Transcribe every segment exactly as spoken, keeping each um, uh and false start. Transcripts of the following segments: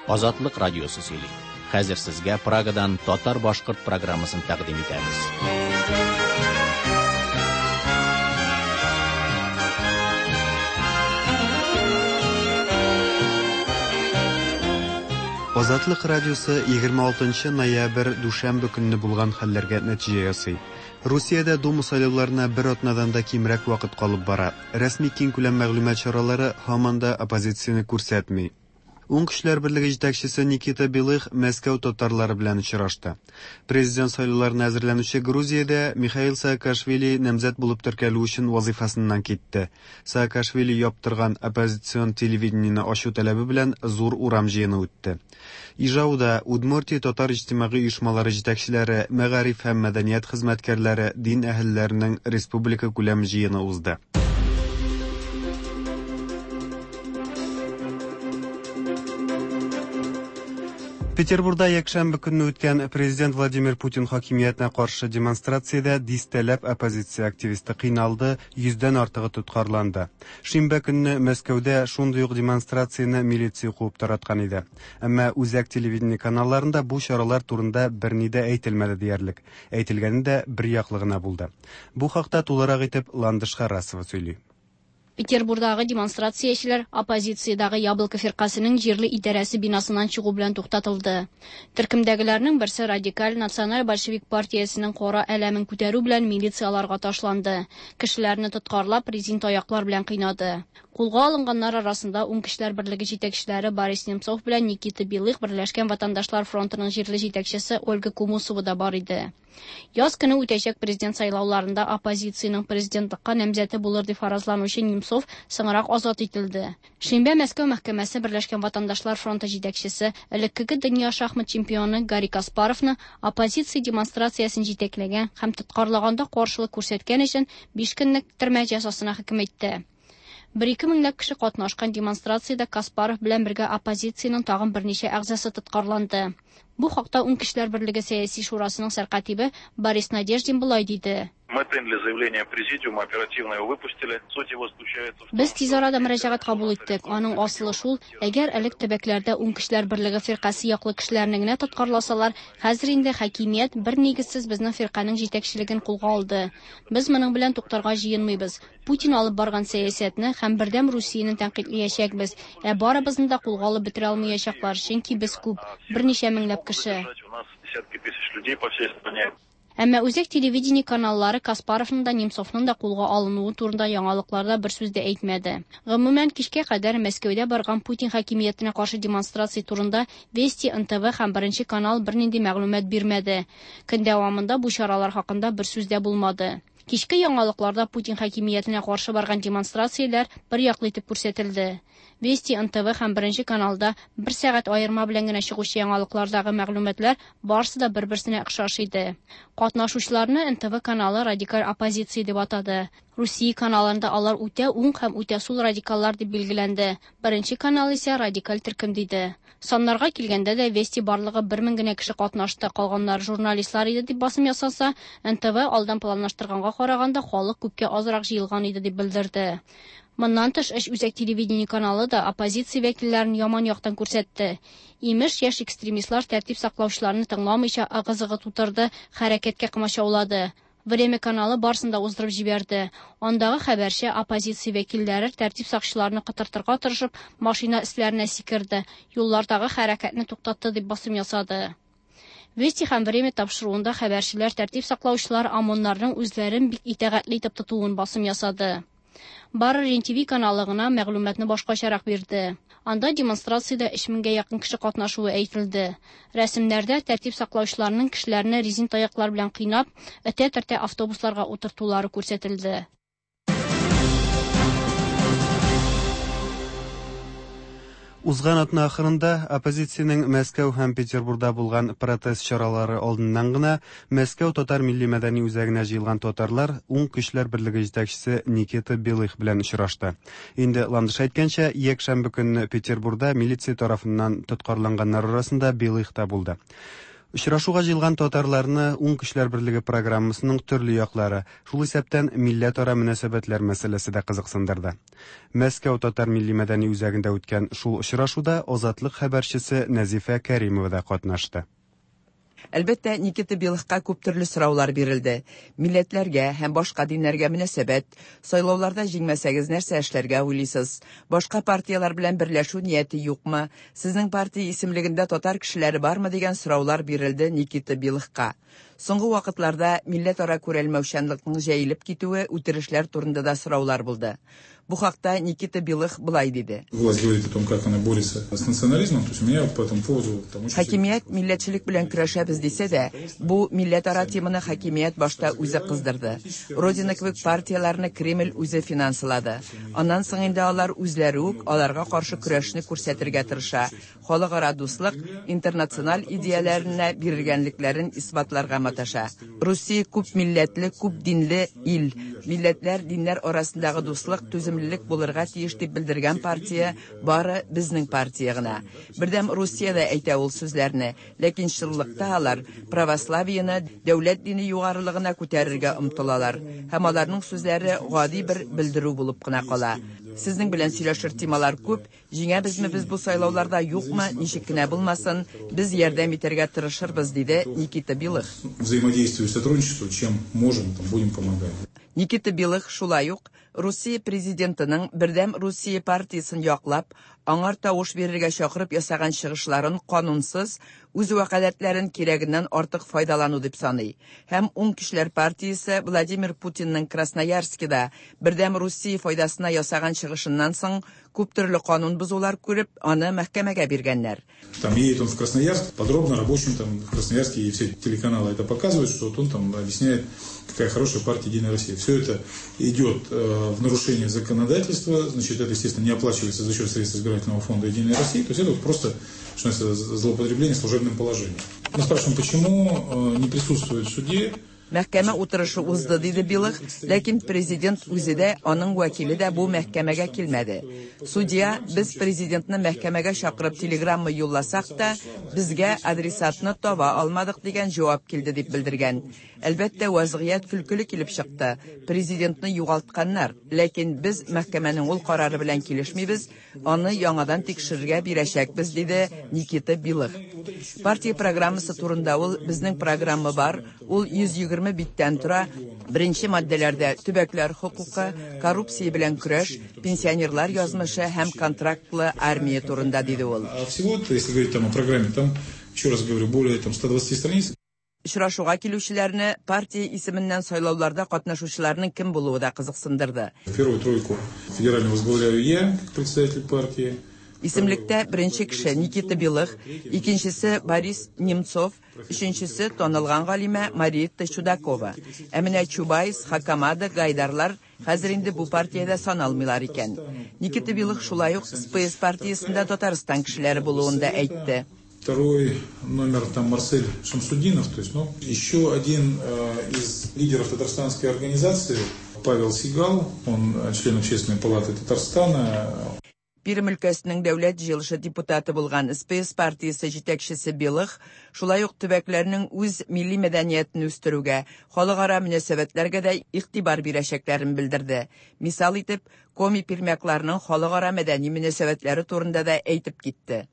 Азатлык радиосы сөйли. Хәзер сезгә Прагадан татар-башкорт программасын тәкъдим итәбез. Азатлык радиосы егерме алтынчы ноябрь дүшәмбе көнне булган хәлләргә нәтиҗә ясый. Русиядә Дума сайлауларына бер атнадан да кимрәк вакыт калып бара. Рәсми киңкүләм мәгълүмат чаралары һаман да оппозицияне күрсәтми. Уң көчләр берлеге җитәкчесе Никита Белых Мәскәү татарлары белән очрашты. Президент сайлауларына әзерләнүче Грузиядә Михаил Саакашвили намзәт булып теркәлү өчен вазифасыннан китте. Саакашвили яптырган оппозицион телевидениене ачу таләбе белән зур урам җыены үтте. Ижауда Удмуртия татар иҗтимагый оешмалары җитәкчеләре, мәгариф һәм мәдәният хезмәткәрләре, дин әһелләренең республика күләм җыены узды. Петербурда якшәмбе көнне үткән президент Владимир Путин хакимиятенә каршы демонстрациядә дистәләп оппозиция активисты кыйналды, йөздән артыгы тоткарланды. Шимбә көнне Мәскәүдә шундый ук демонстрацияне милиция куып тараткан иде. Әмма үзәк телевидение каналларында бу чаралар турында берни дә әйтелмәде диярлек. Әйтелгәне дә бер яклы гына булды. Бу хакта тулырак итеп Ландыш Харасова сөйли. Петербурдагы демонстрациячеләр оппозициядагы Яблоко фиркасының җирле идарәсе бинасыннан чыгу белән туктатылды. Төркемдәгеләрнең берсе радикаль националь большевик партиясенең кара әләмен күтәрү белән милицияларга ташланды. Кешеләрне тоткарлап, резин таяклар белән кыйнады. Кулга алынганнар арасында Уң көчләр берлеге җитәкчеләре Борис Немцов белән Никита Белых, Берләшкән ватандашлар фронтының җирле җитәкчесе Ольга Кумусова да бар иде. Яз көне үтәчәк президент сайлауларында оппозициянең президентлыкка намзәте булыр дип фаразланучы Немцов соңрак азат ителде. Шимбә Мәскәү мәхкәмәсе Берләшкән ватандашлар фронты җитәкчесе, элеккеге дөнья шахмат чемпионы Гарри Каспаровны оппозиция демонстрациясен җитәкләгән һәм тоткарлаганда каршылык күрсәткән өчен биш көнлек төрмә җәзасына хөкем итте. Бер ике меңләп кеше катнашкан демонстрациядә Каспаров белән бергә оппозициянең тагын берничә әгъзасы тоткарланды. Бу хакта Уң көчләр берлеге сәяси шурасының сәркатибе Борис Надеждин болай диде. Мы приняли заявление президиума, оперативно его выпустили. Суть его заключается в том, Без тиз арада мөрәҗәгать кабул иттек. Аның асылы шул, әгәр элек төбәкләрдә Уң көчләр берлеге фиркасе яклы кешеләрне генә тоткарласалар, хәзер инде хакимият бер нигезсез безнең фирканең җитәкчелеген кулга алды. Без моның белән туктарга җыенмыйбыз. Путин алып барган сәясәтне һәм Бердәм Русияне тәнкыйтьләячәкбез. Ә барыбызны да кулга алып бетерә алмаячаклар, чөнки без күп, берничә меңләп кеше. У нас десятки тысяч людей по всей стране. Әмма үзәк телевидение каналлары Каспаровның да, Немцовның да кулга алынуы турында яңалыкларда бер сүз дә әйтмәде. Гомумән, кичкә кадәр Мәскәүдә барган Путин хакимиятенә каршы демонстрация турында Вести, эн тэ вэ һәм Беренче канал бернинди мәгълүмат бирмәде. Көн дәвамында бу чаралар хакында бер сүз дә булмады. Кичке яңалыкларда Путин хакимиятенә каршы барган демонстрацияләр бер яклы итеп күрсәтелде. Вести, эн тэ вэ һәм Беренче каналда бер сәгать аерма белән генә чыгучы яңалыклардагы мәгълүматлар барысы да бер-берсенә охшаш иде. Катнашучыларны эн тэ вэ каналы радикаль оппозиция дип атады. Русия каналында алар үтә уң һәм үтә сул радикаллар дип билгеләнде. Беренче канал исә радикаль төркем диде. Саннарга килгәндә дә Вести барлыгы бер мең генә кеше катнашты, калганнар журналистлар иде дип басым ясаса, эн тэ вэ алдан планлаштырганга караганда халык күпкә азрак җыелган иде дип белдерде. Моннан тыш, өч үзәк телевидение каналы да оппозиция вәкилләрен яман яктан күрсәтте. Имеш, яшь экстремистлар тәртип саклаучыларны тыңламыйча ыгы-зыгы тутырды, хәрәкәткә комачаулады. Время каналы барысын да уздырып җибәрде. Андагы хәбәрче оппозиция вәкилләре тәртип сакчыларны кытыртырга тырышып, машина өсләренә сикерде, юллардагы хәрәкәтне туктатты дип басым ясады. Вести һәм Время тапшыруында хәбәрчеләр тәртип саклаучылар ОМОНнарның үзләрен бик итагатьле итеп тотуын басым ясады. Бары Рен ти ви каналы гына мәгълүматны башкачарак бирде. Анда демонстрациядә өч меңгә якын кеше катнашуы әйтелде. Рәсемнәрдә тәртип саклаучыларның кешеләрне резин таяклар белән кыйнап, этә-төртә автобусларга утыртулары күрсәтелде. Узган атна ахырында оппозициянең Мәскәү һәм Петербурда булган протест чаралары алдыннан гына Мәскәү татар милли мәдәни үзәгенә җыелган татарлар Уң көчләр берлеге җитәкчесе Никита Белых белән очрашты. Инде Ландыш әйткәнчә, якшәмбе көнне Петербурда милиция тарафыннан тоткарланганнар арасында Белых та булды. Очрашуга җыелган татарларны Уң көчләр берлеге программасының төрле яклары, шул исәптән милләтара мөнәсәбәтләр мәсьәләсе дә кызыксындырды. Мәскәү татар милли мәдәни үзәгендә үткән шул очрашуда Азатлык хәбәрчесе Нәзифә Кәримова да катнашты. Әлбәттә, Никита Белыхка күп төрле сораулар бирелде. Милләтләргә һәм башка диннәргә мөнәсәбәт, сайлауларда җиңмәсәгез нәрсә эшләргә уйлыйсыз? Башка партияләр белән берләшү нияте юкмы? Сезнең партия исемлегендә татар кешеләре бармы дигән сораулар бирелде Никита Белыхка. Соңгы вакытларда милләтара күрәлмәүчәнлекнең җәелеп китүе, үтерешләр турында да сораулар булды. Бу хакта Никита Белых былай диде. Власть говорит о том, как она борется с национализмом, то есть у меня по этому поводу там очень Хакимият милләтчелек белән көрәшәбез дисә дә, бу милләтара теманы хакимият башта үзе кыздырды. Родина кебек партияләрне Кремль үзе финанслады. Аннан соң инде алар үзләре үк аларга каршы көрәшне күрсәтергә тырыша. Халыкара дуслык, интернациональ идеяләренә бирелгәнлекләрен исбатларга маташа. Русия күп милләтле, күп динле ил. Милләтләр, диннәр арасындагы дуслык, түземлелек булырга тиеш дип белдергән партия бары безнең партия гына. Бердәм Русия дә әйтә ул сүзләрне, ләкин чынлыкта алар православиене дәүләт дине югарылыгына күтәрергә омтылалар. Һәм аларның сүзләре гади бер белдерү булып кына кала. Сезнең белән сөйләшер темалар күп, җиңәбезме без бу сайлауларда, юкмы, ничек кенә булмасын, без ярдәм итәргә тырышырбыз, диде Никита Белых. Взаимодействию и сотрудничеству, чем можем, там будем помогать. Никита Белых шулай ук Русия президентының Бердәм Русия партиясен яклап, аңар тавыш бирергә чакырып ясаган чыгышларын канунсыз, үз вәкаләтләрен кирәгеннән артык файдалану дип саный. Һәм Уң көчләр партиясе Владимир Путинның Красноярскида Бердәм Русия файдасына ясаган чыгышыннан соң күп төрле канун бозулар күреп, аны мәхкәмәгә биргәннәр. Там едет он в Красноярск, подробно рабочим там в Красноярске и все телеканалы это показывают, что вот он там объясняет, какая хорошая партия Единая Россия. Все это идет э, в нарушение законодательства, значит, это, естественно, не оплачивается за счет средств избирательного фонда Единой России, то есть это вот просто, что называется, злоупотребление служебным положением. Мы спрашиваем, почему э, не присутствует в суде. Мәхкәмә утырышы узды, диде Белых, ләкин президент үзе дә, аның вәкиле дә бу мәхкәмәгә килмәде. Судья, без президентны мәхкәмәгә чакырып телеграмма юлласак та, безгә адресатны таба алмадык дигән җавап килде дип белдергән. Әлбәттә, вазгыять көлкеле килеп чыкты. Президентны югалтканнар, ләкин без мәхкәмәнең ул карары белән килешмибез, аны яңадан тикшерергә бирәчәкбез, диде Никита Белых. Партия программасы турында ул, безнең программа бар, ул йөз егерме биттән тора. Беренче маддәләрдә төбәкләр хокукы, коррупция белән көрәш, пенсионерлар язмышы һәм контрактлы армия турында, диде ул. А всего, если говорить там о программе, там, еще раз говорю, более там ста двадцати страниц. Очрашуга килүчеләрне партия исеменнән сайлауларда катнашучыларның кем булуы да кызыксындырды. Первую тройку федеральную возглавляю я, как представитель партии. Исемлектә беренче кеше Никита Белых, икенчесе Борис Немцов, өченчесе танылган галимә Мариетта Чудакова. Ә менә Чубайс, Хакамада, Гайдарлар хәзер инде бу партиядә саналмыйлар икән. Никита Белых шулай ук С П С партиясендә Татарстан кешеләре булуын да әйтте. Второй номер там Марсель Шамсудинов, то есть, ну, еще один э, из лидеров татарстанской организации Павел Сигал, он член Общественной палаты Татарстана. Пермь өлкәсенең дәүләт җыелышы депутаты булган С П С партиясе җитәкчесе Белых шулай ук төбәкләрнең үз милли мәдәниятен үстерүгә, халыкара мөнәсәбәтләргә дә игътибар бирәчәкләрен белдерде. Мисал итеп, Коми пермякларының халыкара мәдәни мөнәсәбәтләре турында да әйтеп китте.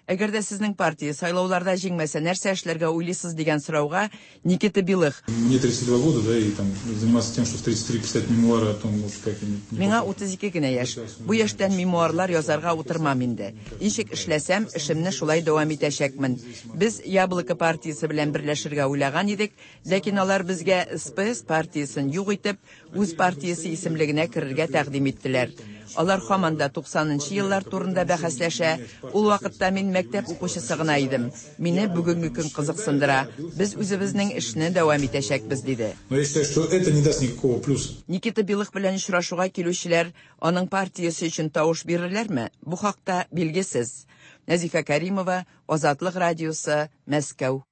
Әгәр дә сезнең партия сайлауларда җиңмәсә, нәрсә эшләргә уйлыйсыз дигән сорауга Никита Белых: Мне тридцать два года, да, и там заниматься тем, что в тридцать три писать мемуары о том, вот как я не Миңа утыз ике генә яшь. Бу яшьтән мемуарлар язарга утырмам инде. Ничек эшләсәм, эшемне шулай дәвам итәчәкмен. Без Яблоко партиясе белән берләшергә уйлаган идек, ләкин алар безгә С П С партиясен юк итеп, үз партиясе исемлегенә керергә тәкъдим иттеләр. Алар һаман да туксанынчы еллар турында бәхәсләшә. Ул вакытта мин мәктәп укучысы гына идем. Мине бүгенге көн кызыксындыра. Без үзебезнең эшне дәвам итәчәкбез, диде. Но я считаю, что это не даст никакого плюса. Никита Белых белән очрашуга килүчеләр аның партиясе өчен тавыш бирерләрме? Бу хакта билгесез. Нәзифә Кәримова, Азатлык радиосы, Мәскәү.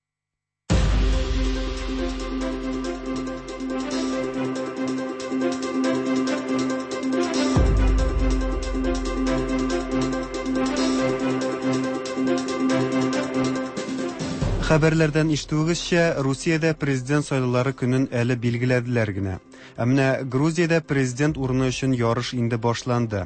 Хәбәрләрдән ишетүегезчә, Русиядә президент сайлаулары көнен әле билгеләделәр генә. Ә менә Грузиядә президент урыны өчен ярыш инде башланды.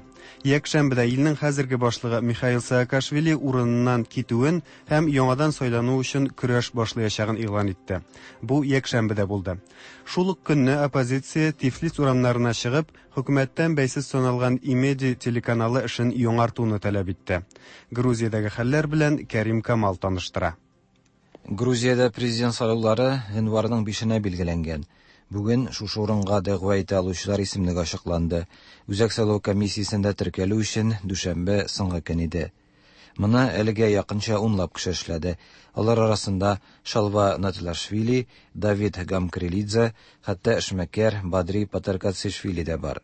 Якшәмбедә илнең хәзерге башлыгы Михаил Саакашвили урыныннан китүен һәм яңадан сайлану өчен көрәш башлаячагын игълан итте. Бу якшәмбедә булды. Шул ук көнне оппозиция Тифлис урамнарына чыгып, хөкүмәттән бәйсез саналган Имеди телеканалы эшен яңартуны таләп итте. Грузиядәге хәлләр белән Кәрим Камал таныштыра. Грузиядә президент сайлаулары гыйнварның бишенә билгеләнгән. Бүген шушы урынга дәгъва итә алучылар исемлеге ачыкланды. Үзәк сайлау комиссиясендә теркәлү өчен дүшәмбе соңгы көн иде. Моны әлегә якынча унлап кеше эшләде. Алар арасында Шалва Нателашвили, Давид Гамкрелидзе, хәтта эшмәкәр Бадри Патаркацишвили дә бар.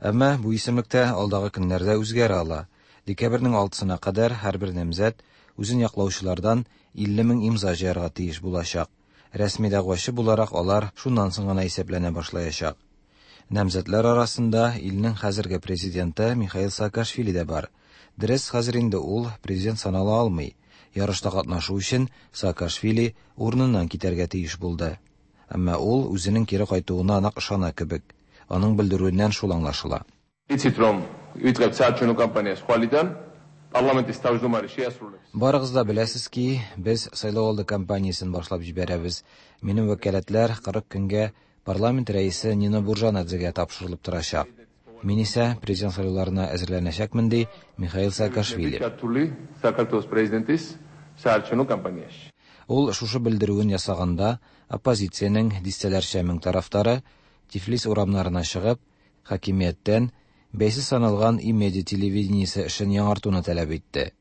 Әмма бу исемлектә алдагы көннәрдә үзгәрә ала. Декабрьнең алтысына кадәр һәрбер намзәт үзен яклаучылардан илле мең имза җыярга тиеш булачак. Рәсми дәгъвачы буларак алар шуннан соң гына исәпләнә башлаячак. Намзәтләр арасында илнең хәзерге президенты Михаил Саакашвили дә бар. Дөрес, хәзер инде ул президент санала алмый. Ярышта катнашу өчен Саакашвили урыныннан китәргә тиеш булды. Әмма ул үзенең кире кайтуына нык ышана кебек. Аның белдерүеннән шул аңлашыла. Იცით რომ ვიწყებთ საარჩევნო კამპანიას ხვალიდან, პარლამენტის თავმჯდომარე შეასრულებს. Барыгыз да беләсез ки, без сайлау алды кампаниясен башлап җибәрәбез. Минем вәкаләтләр кырык көнгә парламент рәисе Нино Буржанадзегә тапшырылып торачак. Мин исә президент сайлауларына әзерләнәчәкмен, ди Михаил Саакашвили. საქართველოს პრეზიდენტის საარჩევნო კამპანიაში. Ул шушы белдерүен ясаганда оппозициянең дистәләрчә мең тарафдары Тифлис урамнарына чыгып, хакимияттән бәйсез саналган Имеди телевидениесе эшен яңартуны таләп итте.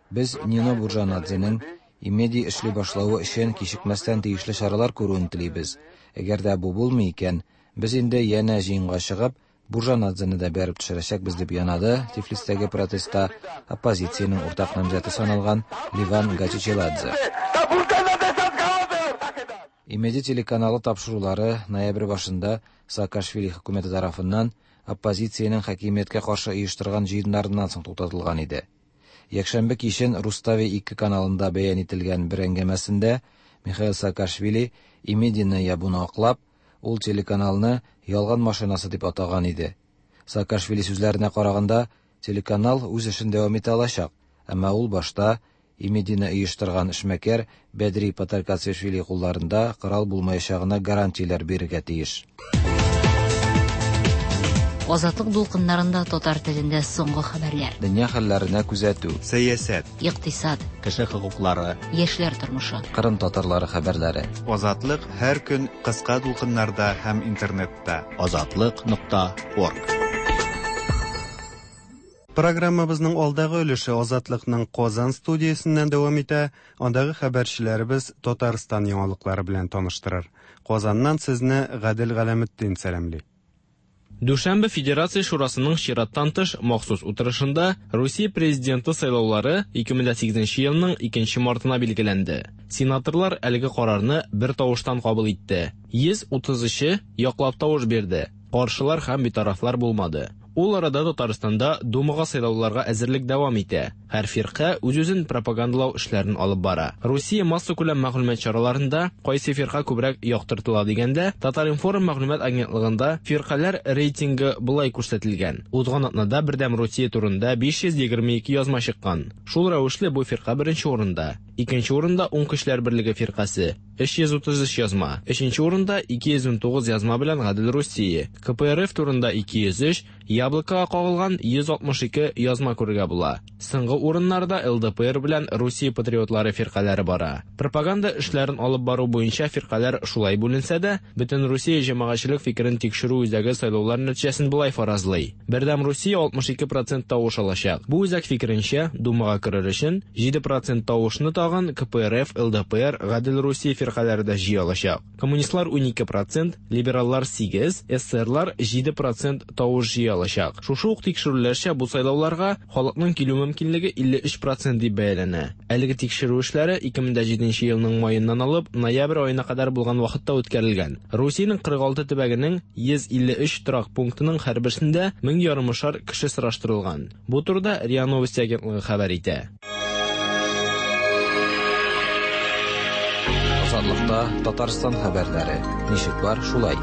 Без Нино Буржанадзеның Имеди эшли башлавы өчен кичекмәстән тиешле чаралар күрүен телибез. Әгәр дә бу булмый икән, без инде янә җыенга чыгып, Буржанадзены да бәреп төшерәчәкбез, дип янады Тифлистәге протестта оппозициянең уртак намзәте саналган Ливан Гачичеладзе. Имеди телеканалы тапшырулары ноябрь башында Саакашвили хөкүмәте тарафыннан оппозициянең хакимияткә каршы оештырган җыеннарыннан соң туктатылган иде. Якшәмбе кичен Рустави ике каналында бәян ителгән бер әңгәмәсендә Михаил Саакашвили Имедины ябуны аклап, ул телеканалны ялган машинасы дип атаган иде. Саакашвили сүзләренә караганда, телеканал үз эшен дәвам итә алачак, әмма ул башта Имедины оештырган эшмәкәр Бәдри Патаркацишвили кулларында корал булмаячагына гарантияләр бирергә тиеш. Азатлык дулкыннарында татар телендә соңгы хәбәрләр. Дөнья хәлләренә күзәтү, сәясәт, икътисад, кеше хокуклары, яшьләр тормышы, Кырым татарлары хәбәрләре. Азатлык һәр көн кыска дулкыннарда һәм интернетта. Азатлык нокта орг. Программабызның алдагы өлеше Азатлыкның Казан студиясеннән дәвам итә. Андагы хәбәрчеләребез Татарстан яңалыклары белән таныштырыр. Казаннан сезне Гадел Галәметдин сәламли. Дүшәмбе Федерация Шурасының чираттан тыш махсус утырышында Русия президенты сайлаулары ике мең сигезенче елның икенче мартына билгеләнде. Сенаторлар әлеге карарны бер тавыштан кабул итте. Йөз утыз өче яклап тавыш бирде. Каршылар һәм битарафлар булмады. Ул арада Татарстанда Думага сайлауларга әзерлек дәвам итә. Һәр фирка үз-үзен пропагандалау эшләрен алып бара. Русия массакүләм мәгълүмат чараларында кайсы фирка күбрәк яктыртыла дигәндә, Татар-информ мәгълүмат агентлыгында фиркаләр рейтингы болай күрсәтелгән. Узган атнада Бердәм Русия турында биш йөз егерме ике язма чыккан. Шул рәвешле бу фирка беренче урында. Икенче урында Уң көчләр берлеге фиркасе өч йөз утыз өч язма. Өченче урында ике йөз унтугыз язма белән Гадел Русия. К П Р Ф турында ике йөз өч, Яблокога кагылган йөз алтмыш ике язма күрергә була. Соңгы урыннарда Л Д П Р белән Русия патриотлары фиркаләре бара. Пропаганда эшләрен алып бару буенча фиркаләр шулай бүленсә дә, бөтен Русия җәмәгатьчелек фикерен тикшерү үзәге сайлаулар нәтиҗәсен болай фаразлый. Бердәм Русия алтмыш ике процент тавыш алачак. Бу үзәк фикеренчә, Думага керер өчен җиде процент тавышны тагын тагын К П Р Ф, Л Д П Р, Гадел Русия фиркаләре дә җыя алачак. Коммунистлар унике процент, либераллар сигез, эсерлар җиде процент тавыш җыя алачак. Шушы ук тикшерүләрчә, бу сайлауларга халыкның килү мөмкинлеге илле өч процент дип бәяләнә. Әлеге тикшерү эшләре ике мең дә җиденче елның маеннан алып ноябрь аена кадәр булган вакытта үткәрелгән. Русиянең кырык алты төбәгенең йөз илле өч торак пунктының һәрберсендә мең ярымышар кеше сораштырылган. Бу турыда РИА Новости агентлыгы хәбәр итә. Азатлыкта Татарстан хәбәрләре. Ничек бар, шулай.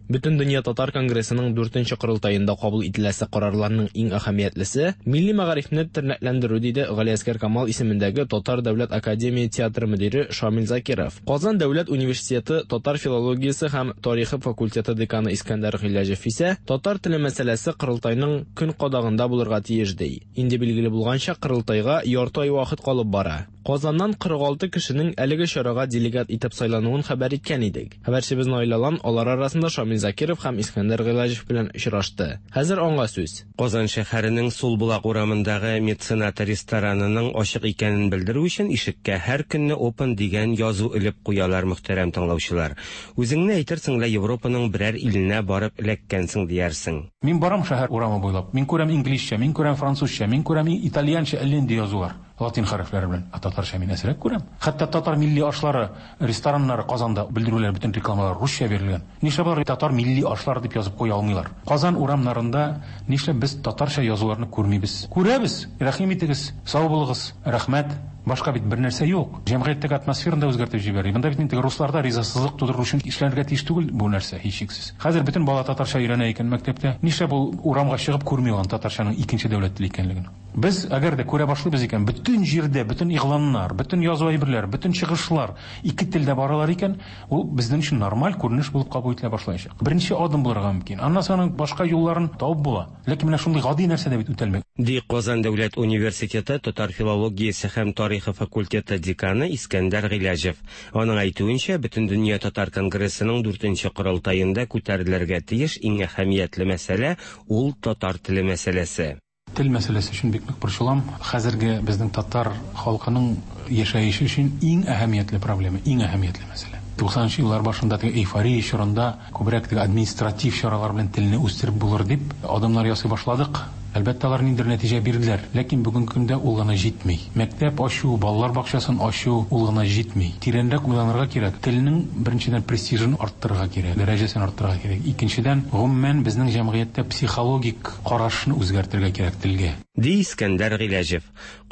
Бөтендөнья татар конгрессының дүртенче корылтаенда кабул ителәсе карарларның иң әһәмиятлесе милли мәгарифне тернәкләндерү, диде Галиәсгар Камал исемендәге Татар дәүләт академия театры мөдире Шамил Закиров. Казан дәүләт университеты татар филологиясе һәм тарихы факультеты деканы Искәндәр Гыйләҗев исә татар теле мәсьәләсе корылтайның көн кадагында булырга тиеш, ди. Инде билгеле булганча, корылтайга ярты ай вакыт калып бара. Казаннан кырык алты кешенең әлеге чарага делегат итеп сайлануын хәбәр иткән идек. Хәбәрчебез Наил Алан алар арасында Шамил Закиров һәм Искәндәр Гыйләҗев белән очрашты. Хәзер аңа сүз. Казан шәһәренең Сулбулак урамындагы Меценат ресторанының ачык икәнен белдерү өчен ишеккә һәр көнне "Open" дигән язу элеп куялар, мөхтәрәм тыңлаучылар. Үзеңне әйтерсең лә Европаның берәр иленә барып эләккәнсең диярсең. Мин барам шәһәр урамы буйлап. Мин күрәм инглизчә, мин күрәм французча, мин күрәм итальянча әллә нинди язулар латин хәрефләре белән. Ә татарча мин әзрәк күрәм. Хәтта татар милли ашлары рестораннары Казанда белдерүләр, бөтен рекламалар русча бирелгән. Нишләп алар татар милли ашлары дип язып куя алмыйлар? Казан урамнарында нишләп без татарча язуларны күрмибез? Күрәбез. Рәхим итегез, сау булыгыз, рәхмәт. Башка бит бер нәрсә юк. Җәмгыятьтәге атмосфераны да үзгәртеп җибәрә. Монда бит инде русларда ризасызлык тудыру өчен эшләнергә тиеш түгел бу нәрсә, һичшиксез. Хәзер бөтен бала татарча өйрәнә икән мәктәптә. Нишләп ул урамга чыгып күрми ул татарчаның икенче дәүләт теле икәнлеген? Без әгәр дә күрә башлыйбыз икән, бөтен җирдә, бөтен игъланнар, бөтен язу әйберләр, бөтен чыгышлар ике телдә баралар икән, ул безнең өчен нормаль күренеш булып кабул ителә башлаячак. Беренче адым булырга мөмкин. Аннан соң аның башка юлларын табып була. Ләкин менә шундый гади нәрсә дә бит үтәлми. Ди Казан дәүләт университеты татар филологиясе һәм тарихы факультеты деканы Искәндәр Гыйләҗев. Аның әйтүенчә, Бөтендөнья татар конгрессының дүртенче корылтаенда күтәрелергә тиеш иң әһәмиятле мәсьәлә ул татар теле мәсьәләсе. Тел мәсьәләсе өчен бик нык борчылам. Хәзерге безнең татар халкының яшәеше өчен иң әһәмиятле проблема, иң әһәмиятле мәсьәлә. туксанынчы еллар башында теге эйфория чорында күбрәк теге административ чаралар белән телне үстереп булыр дип адымнар ясый башладык. Әлбәттә, алар ниндидер нәтиҗә бирделәр, ләкин бүгенге көндә ул гына җитми. Мәктәп ачу, балалар бакчасын ачу ул гына җитми. Тирәнрәк уйланырга кирәк. Телнең беренчедән престижын арттырырга кирәк, дәрәҗәсен арттырырга кирәк. Икенчедән, гомумән безнең җәмгыятьтә психологик карашны үзгәртергә кирәк телгә. Ди Искәндәр Гыйләҗев.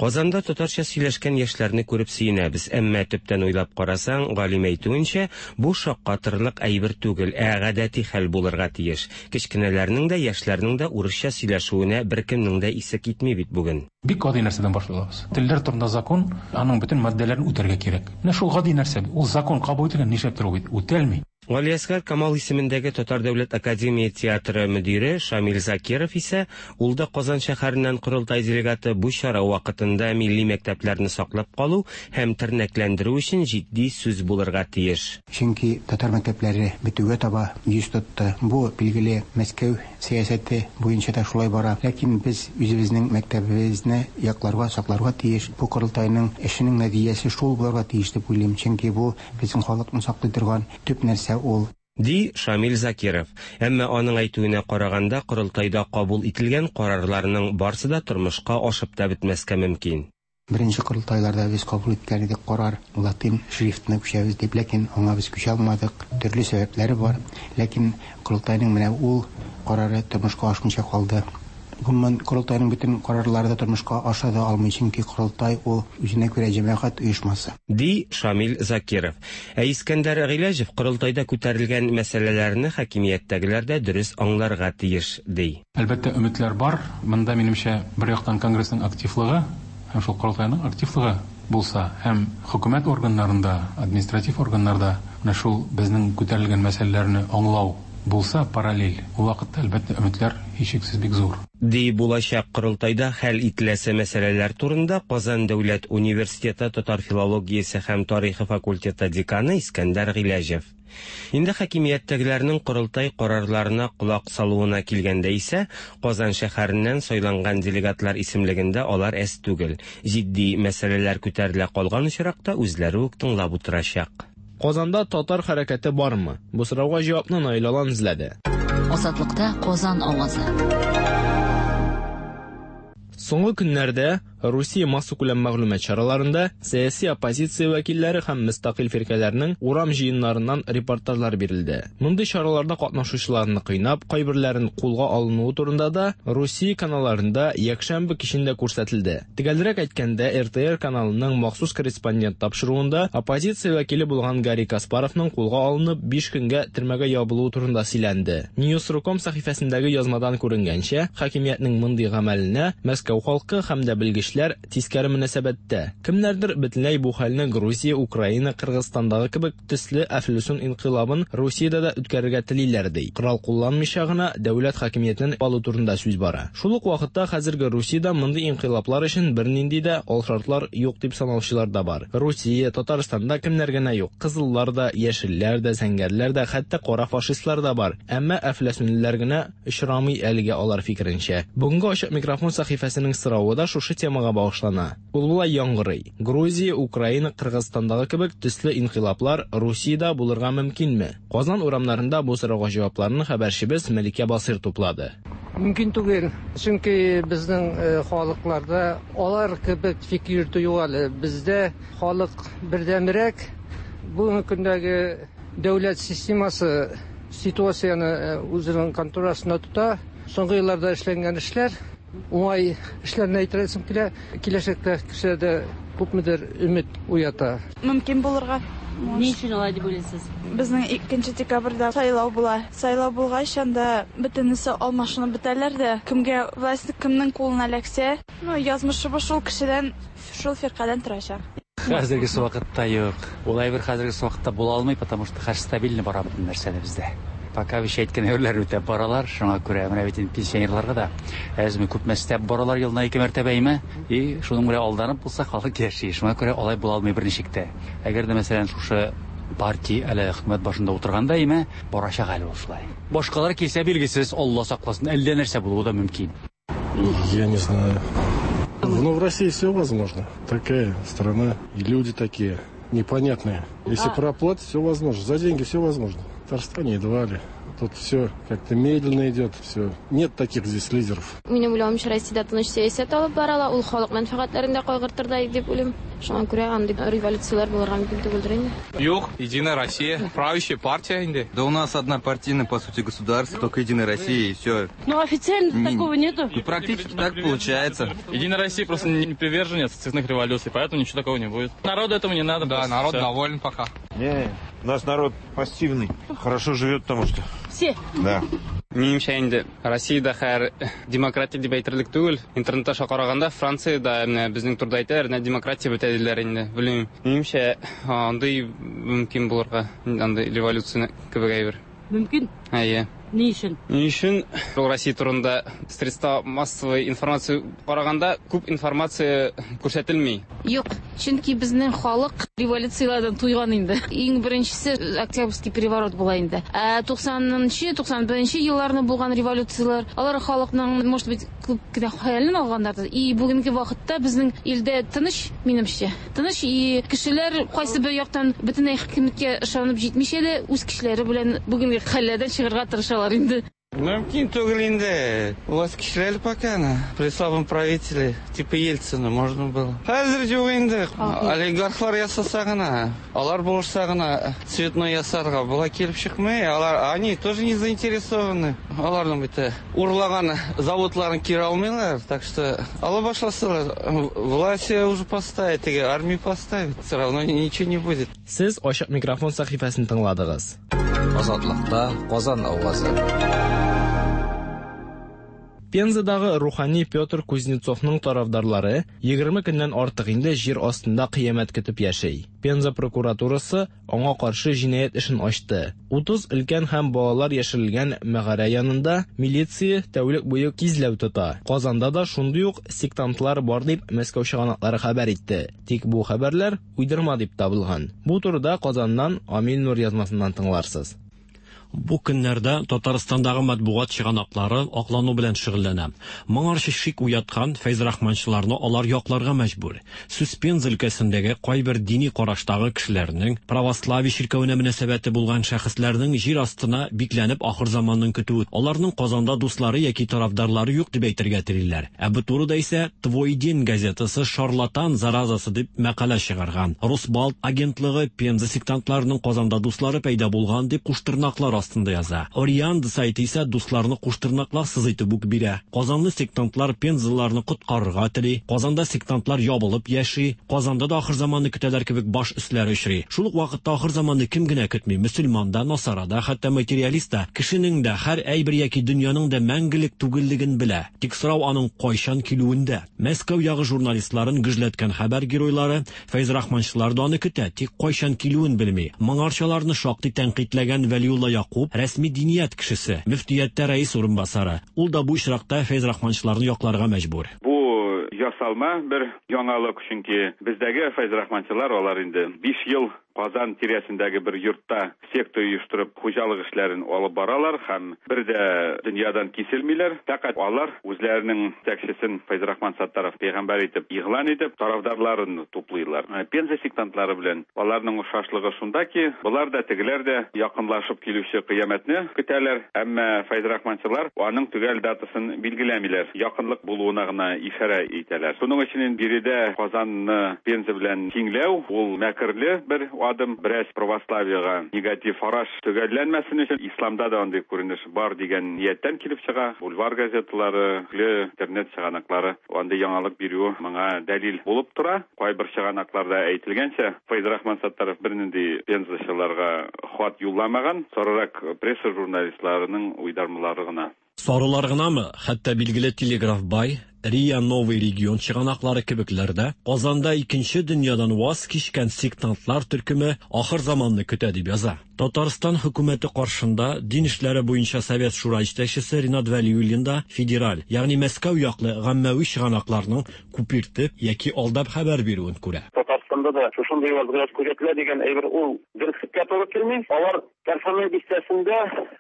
Казанда татарча сөйләшкән яшьләрне күреп сөенәбез, әмма төптән уйлап карасаң, галим әйтүенчә, бу шаккатырлык әйбер түгел, ә гадәти хәл булырга тиеш. Кечкенәләрнең дә, яшьләрнең дә урысча сөйләшүенә беркемнең дә исе китми бит бүген. Бик гади нәрсәдән башлыйбыз. Телләр турында закон, аның бөтен маддәләрен үтәргә кирәк. Менә шул гади нәрсә. Ул закон кабул ителгән, нишләптер ул бит үтәлми. Галиәсгар Камал исемендәге Татар дәүләт академия театры мөдире Шамил Закиров исә, ул да Казан шәһәреннән корылтай делегаты, бу чара вакытында милли мәктәпләрне саклап калу һәм тернәкләндерү өчен җитди сүз булырга тиеш. Чөнки татар мәктәпләре бетүгә таба йөз тотты. Бу билгеле Мәскәү сәясәте буенча да шулай бара. Ләкин без үзебезнең мәктәбебезне якларга, сакларга тиеш. Бу корылтайның эшенең нәтиҗәсе шул булырга тиеш дип уйлыйм. Чөнки бу безнең халыкны саклый торган төп нәрсә ул. Ди Шамил Закиров. Әмма аның әйтүенә караганда, корылтайда кабул ителгән карарларның барсы да тормышка ашып та бетмәскә мөмкин. Беренче корылтайларда без кабул иткән идек карар, латин шрифтына күчәбез дип, ләкин аңа без күчә алмадык. Төрле сәбәпләре бар. Ләкин корылтайның менә ул карары тормышка ашмыйча калды. Гомумән, корылтайның бөтен карарлары да тормышка аша да алмый, чөнки корылтай ул үзенә күрә җәмәгать оешмасы. Ди Шамил Закиров. Ә Искәндәр Гыйләҗев корылтайда күтәрелгән мәсьәләләрне хакимияттәгеләр дә дөрес аңларга тиеш, ди. Әлбәттә, өметләр бар. Монда минемчә бер яктан конгрессның активлыгы һәм шул корылтайның активлыгы булса, һәм хөкүмәт органнарында, административ органнарда менә шул безнең күтәрелгән мәсьәләләрне аңлау булса параллель, ул вакытта, әлбәттә, өметләр һичшиксез бик зур. Ди булачак корылтайда хәл ителәсе мәсьәләләр турында Казан дәүләт университеты татар филологиясе һәм тарихы факультеты деканы Искәндәр Гыйләҗев. Инде хакимияттәгеләрнең корылтай карарларына колак салуына килгәндә исә, Казан шәһәреннән сайланган делегатлар исемлегендә алар әз түгел. Җитди мәсьәләләр күтәрелә калган очракта үзләре үк тыңлап утырачак. Казанда татар хәрәкәте бармы? Бу сорауга җавапны Наил Алан эзләде. Азатлыкта Казан авазы. Соңгы көннәрдә Русия массакүләм мәгълүмат чараларында сәяси оппозиция вәкилләре һәм мөстәкыйль фиркәләрнең урам җыеннарыннан репортажлар бирелде. Мондый чараларда катнашучыларны кыйнап, кайберләрен кулга алынуы турында да Русия каналларында якшәмбе кичендә күрсәтелде. Төгәлрәк әйткәндә, Р Т Р каналының махсус корреспондент тапшыруында оппозиция вәкиле булган Гарри Каспаровның кулга алынып биш көнгә төрмәгә ябылуы турында сөйләнде. News точка ком сәхифәсендәге язмадан күренгәнчә, хакимиятнең мондый гамәленә Мәскәү халкы һәм дә белгечләр тискәре мөнәсәбәттә. Кемнәрдер бөтенләй бу хәлне Грузия, Украина, Кыргызстандагы кебек төсле әфлисун инкыйлабын Русиядә дә үткәрергә телиләр ди. Корал кулланмыйча гына дәүләт хакимиятен алу турында сүз бара. Шул ук вакытта хәзерге Русиядә мондый инкыйлаблар өчен бернинди дә алшартлар юк дип санаучылар да бар. Русия, Татарстанда кемнәр генә юк. Кызыллар да, яшелләр дә, зәңгәрләр дә, хәтта кара фашистлар да бар. Әмма әфләсүнлеләр генә очрамый әлегә алар фикеренчә. Бүгенге ачык микрофон сәхифәсенең соравы да шушы темага багышлана. Ул болай яңгырый. Грузия, Украина, Кыргызстандагы кебек төсле инкыйлаблар Русиядә булырга мөмкинме? Казан урамнарында бу сорауга җавапларны хәбәрчебез Мәликә Басыр туплады. Мөмкин түгел, чөнки безнең халыкларда алар кебек фикер йөртү юк әле. Бездә халык бердәмрәк. Бүгенге көндәге дәүләт системасы ситуацияне үзенең контроль астында тота. Соңгы елларда эшләнгән эшләр уңай эшләрне әйтәсем килә, киләчәктә кешеләрдә күпмедер өмет уята. Мөмкин булырга. Ни өчен алай дип уйлыйсыз? Безнең икенче декабрьдә сайлау була. Сайлау булгач, анда бөтенесе алмашынып бетәләр дә, кемгә власть кемнең кулына эләксә, ну, язмышы шул кешедән, шул фиркадән торачак. Хәзерге вакытта юк. Ул әйбер хәзерге вакытта була алмый, потому что хәзер стабильный бара бөтен нәрсә бездә. Пока биш әйткән әйберләр үтәп баралар, шуңа күрә менә бит инде пенсионерларга да әзме күпме өстәп баралар елына ике мәртәбә име, и шуның белән алданып булса халык яши. Шуңа күрә алай була алмый берничек тә. Әгәр дә мәсәлән шушы партия әле хөкүмәт башында утырганда име, барачак әле ул шулай. Башкалар килсә билгесез, Алла сакласын, әллә нәрсә булуы да мөмкин. Я не знаю. Ну, в России все возможно. Такая страна, и люди такие непонятные. Если проплатить, все возможно. За деньги все возможно. В Татарстане едва ли. Тут все как-то медленно идет, все. Нет таких здесь лидеров. Минем уйлавымча, Россиядә тыныч сәясәт алып барыла, ул халык мәнфәгатьләрен дә кайгыртырдай дип уйлыйм. Шуңа күрә андый революцияләр булырга мөмкин түгелдер инде. Юк, Единая Россия, правящая партия инде. Да у нас одна партийная, по сути, государство, только Единая Россия и все. Ну, официально Не, такого нету. Ну, практически так получается. Единая Россия просто не приверженец цветных революций, поэтому ничего такого не будет. Народу этого не надо. Да, народ всё. Доволен пока. Не, у нас народ пассивный, хорошо живет, потому что... Все? Да. Минемчә инде Россиядә хәер демократия дип әйтерлек түгел. Интернет аша караганда Франциядә менә безнең турыда әйтәләр, менә демократия бетә диләр инде. Белмим. Минемчә андый мөмкин булырга, андый революция кебек әйбер. Мөмкин? Әйе. Ни өчен? Ни өчен? Ул Россия турында средства массовой информации караганда күп информация күрсәтелми. Юк, чөнки безнең халык революцияләрдән туйган инде. Иң беренчесе Октябрьский переворот була инде. Ә туксанынчы, туксан беренче елларны булган революцияләр, алар халыкның, может быть, күп кенә хыялын алганнардыр. И бүгенге вакытта безнең илдә тыныч, минемчә. Тыныч, и кешеләр кайсы бер яктан бөтенләй хакимияткә ышанып җитмичә дә үз кешеләре белән бүгенге хәлләрдән чыгарга тырышалар инде. Мөмкин түгел инде. У вас кешеләр пока на при слабом правителе, типа Ельцина, можно было. Хәзер юк инде. Олигархлар ясаса гына, алар булышса гына цветной ясарга була килеп чыкмый. Алар, они тоже не заинтересованы. Аларның бит урлаган заводларын кире алмыйлар, так что ала башласалар, власть уже поставит, теге армию поставит, все равно ничего не будет. Сез ачык микрофон сәхифәсен тыңладыгыз. Азатлыкта Казан авазы. Пензадагы рухани Петр Кузнецовның тарафдарлары егерме көннән артык инде җир астында кыямәт көтеп яши. Пенза прокуратурасы аңа каршы җинаять эшен ачты. Утыз өлкән һәм балалар яшерелгән мәгарә янында милиция тәүлек буе кизләү тота. Казанда да шундый ук сектантлар бар дип Мәскәү чыганаклары хәбәр итте. Тик бу хәбәрләр уйдырма дип табылган. Бу турыда Казаннан Амил Нур язмасыннан тыңларсыз. Бу көннәрдә Татарстандагы матбугат чыганаклары аклану белән шөгыльләнә. Моңарчы шик уяткан фәйзрахманчыларны алар якларга мәҗбүр. Сүз Пенза өлкәсендәге кайбер дини караштагы кешеләрнең, православие чиркәвенә мөнәсәбәте булган шәхесләрнең җир астына бикләнеп ахыр заманның көтүе, аларның Казанда дуслары яки тарафдарлары юк дип әйтергә телиләр. Ә бу турыда исә «Твой день» газетасы шарлатан заразасы дип мәкалә чыгарган. Росбалт агентлыгы Пенза сектантларының Казанда дуслары пәйда булган дип куштырнаклар астында яза. Орианда сайты исә дусларны куштырнакларсыз итеп үк бирә. Казанлы сектантлар пензаларны коткарырга тели. Казанда сектантлар ябылып яши. Казанда да ахыр заманны көтәләр кебек баш өсләре очрый. Шул ук вакытта ахыр заманны кем генә көтми? Мөселман да, насара да, хәтта материалист та, кешенең дә һәр әйбер яки дөньяның да мәңгелек түгеллеген белә. Тик сорау аның кайчан килүендә. Мәскәү ягы журналистларын гөжләткән хәбәр геройлары фәйзрахманчылар да аны көтә, тик кайчан килүен белми. Моңарчаларны шактый тәнкыйтьләгән Вәлиулла Якуб рәсми диният кешесе, мөфтияттә рәис урынбасары. Ул да бу очракта фәйзрахманчыларны якларга мәҗбүр. Бу ясалма бер яңалык, чөнки бездәге фәйзрахманчылар алар инде биш ел Казан тирәсендәге бер йортта секта оештырып хуҗалык эшләрен алып баралар һәм бер дә дөньядан киселмиләр. Фәкать алар үзләренең җитәкчесен Фәйзрахман Саттаров пәйгамбәр итеп игълан итеп тарафдарларын туплыйлар. Пенза сектантлары белән аларның охшашлыгы шунда ки, болар да тегеләр дә якынлашып килүче кыямәтне көтәләр, әмма фәйзрахманчылар аның төгәл датасын билгеләмиләр. Якынлык булуына гына ишарә итәләр. Шуның өчен биредә Казанны Пенза белән тиңләү ул мәкерле бер адым, бераз православиега негатив караш төгәлләнмәсен өчен исламда да андый күренеш бар дигән нияттән килеп чыга. Бульвар газеталары, интернет чыганаклары андый яңалык бирү моңа дәлил булып тора. Кайбер чыганакларда әйтелгәнчә, Фәйзрахман Саттаров бернинди пензачыларга хат юлламаган, сорырак пресса журналистларының уйдармалары гына. Сарылар гынамы? Хәтта билгеле Телеграф бай, Риа Новый регион чыганаклары кебекләрдә Казанда икенче дөньядан ваз кичкән сектантлар төркеме ахыр заманны көтә дип яза. Татарстан хөкүмәте каршында дин эшләре буенча Совет шура җитәкчесе Ринат Вәлиуллин да федераль, ягъни Мәскәү яклы гаммәви чыганакларның күпертеп яки алдап хәбәр бирүен күрә. Татарстанда да шушындый вазгыять күзәтелә дигән әйбер ул дөреслеккә туры килми. Алар Кәрфәмә бистәсендә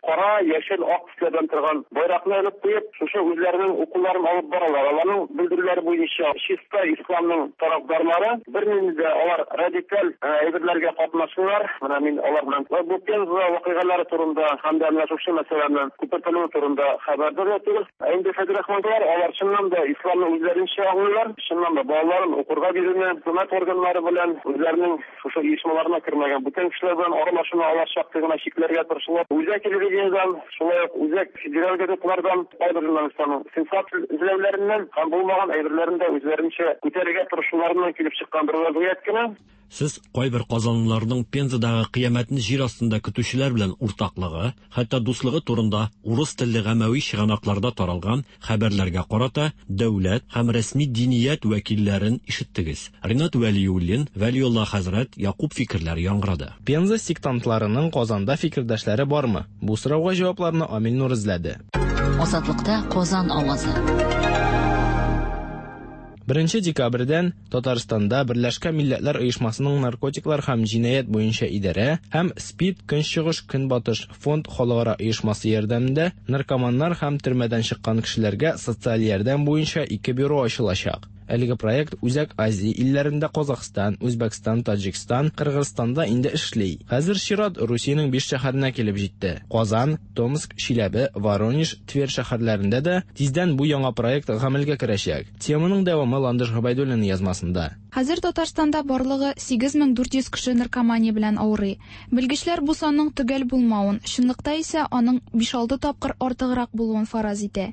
кара, яшел, ак төсләрдән торган байракны элеп куеп, шушы үзләренең укуларын алып баралар. Аларның белдерүләре буенча чиста исламның тарафдарлары, бернинди дә алар радикаль әйберләргә катнашмыйлар. Менә мин алар белән бу Пенза вакыйгалары турында һәм дә менә шушы мәсьәләнең күпертелүе турында хәбәрдар да түгел. Ә инде фәйзрахманчылар алар чыннан да исламны үзләренчә аңлыйлар, чыннан да балаларын укырга бирүне, хөкүмәт органнары белән үзләренең шушы оешмаларына кермәгән бүтән кешеләр белән аралашуны алар шактый гына чикләргә тырышалар. Үзәк телевидениедән, шулай ук үзәк федераль газеталардан кайбер журналистларның сенсация эзләүләреннән һәм булмаган әйберләрен дә үзләренчә күтәрергә тырышуларыннан килеп чыккан бер вазгыять кенә. Сез кайбер казанлыларның Пензадагы кыямәтне җир астында көтүчеләр белән уртаклыгы, хәтта дуслыгы турында урыс телле гаммәви чыганакларда таралган хәбәрләргә карата дәүләт һәм рәсми диният вәкилләрен ишеттегез. Ринат Вәлиуллин, Вәлиулла хәзрәт Якуб фикерләре яңгырады. Пенза сектантларының Казанда фикердәшләре бармы? Бу сорауга җавапларны Амил Нур эзләде. Азатлыкта Казан авазы. Беренче декабрьдән Татарстанда Берләшкән Милләтләр Оешмасының наркотиклар һәм җинаять буенча идарә һәм СПИД Көнчыгыш Көнбатыш фонд халыкара оешмасы ярдәмендә наркоманнар һәм төрмәдән чыккан кешеләргә социаль ярдәм буенча ике бюро ачылачак. Әлеге проект Үзәк Азия илләрендә Казахстан, Үзбәкстан, Таҗикстан, Кыргызстанда инде эшли. Хәзер чират Русиянең биш шәһәренә килеп җитте. Казан, Томск, Чиләбе, Воронеж, Тверь шәһәрләрендә дә тиздән бу яңа проект гамәлгә керәчәк. Теманың дәвамы Ландыш Габайдуллина язмасында. Хәзер Татарстанда барлыгы сигез мең дүрт йөз кеше наркомания белән авырый. Белгечләр бу санның төгәл булмавын, чынлыкта исә аның биш-алты тапкыр артыграк булуын фараз итә.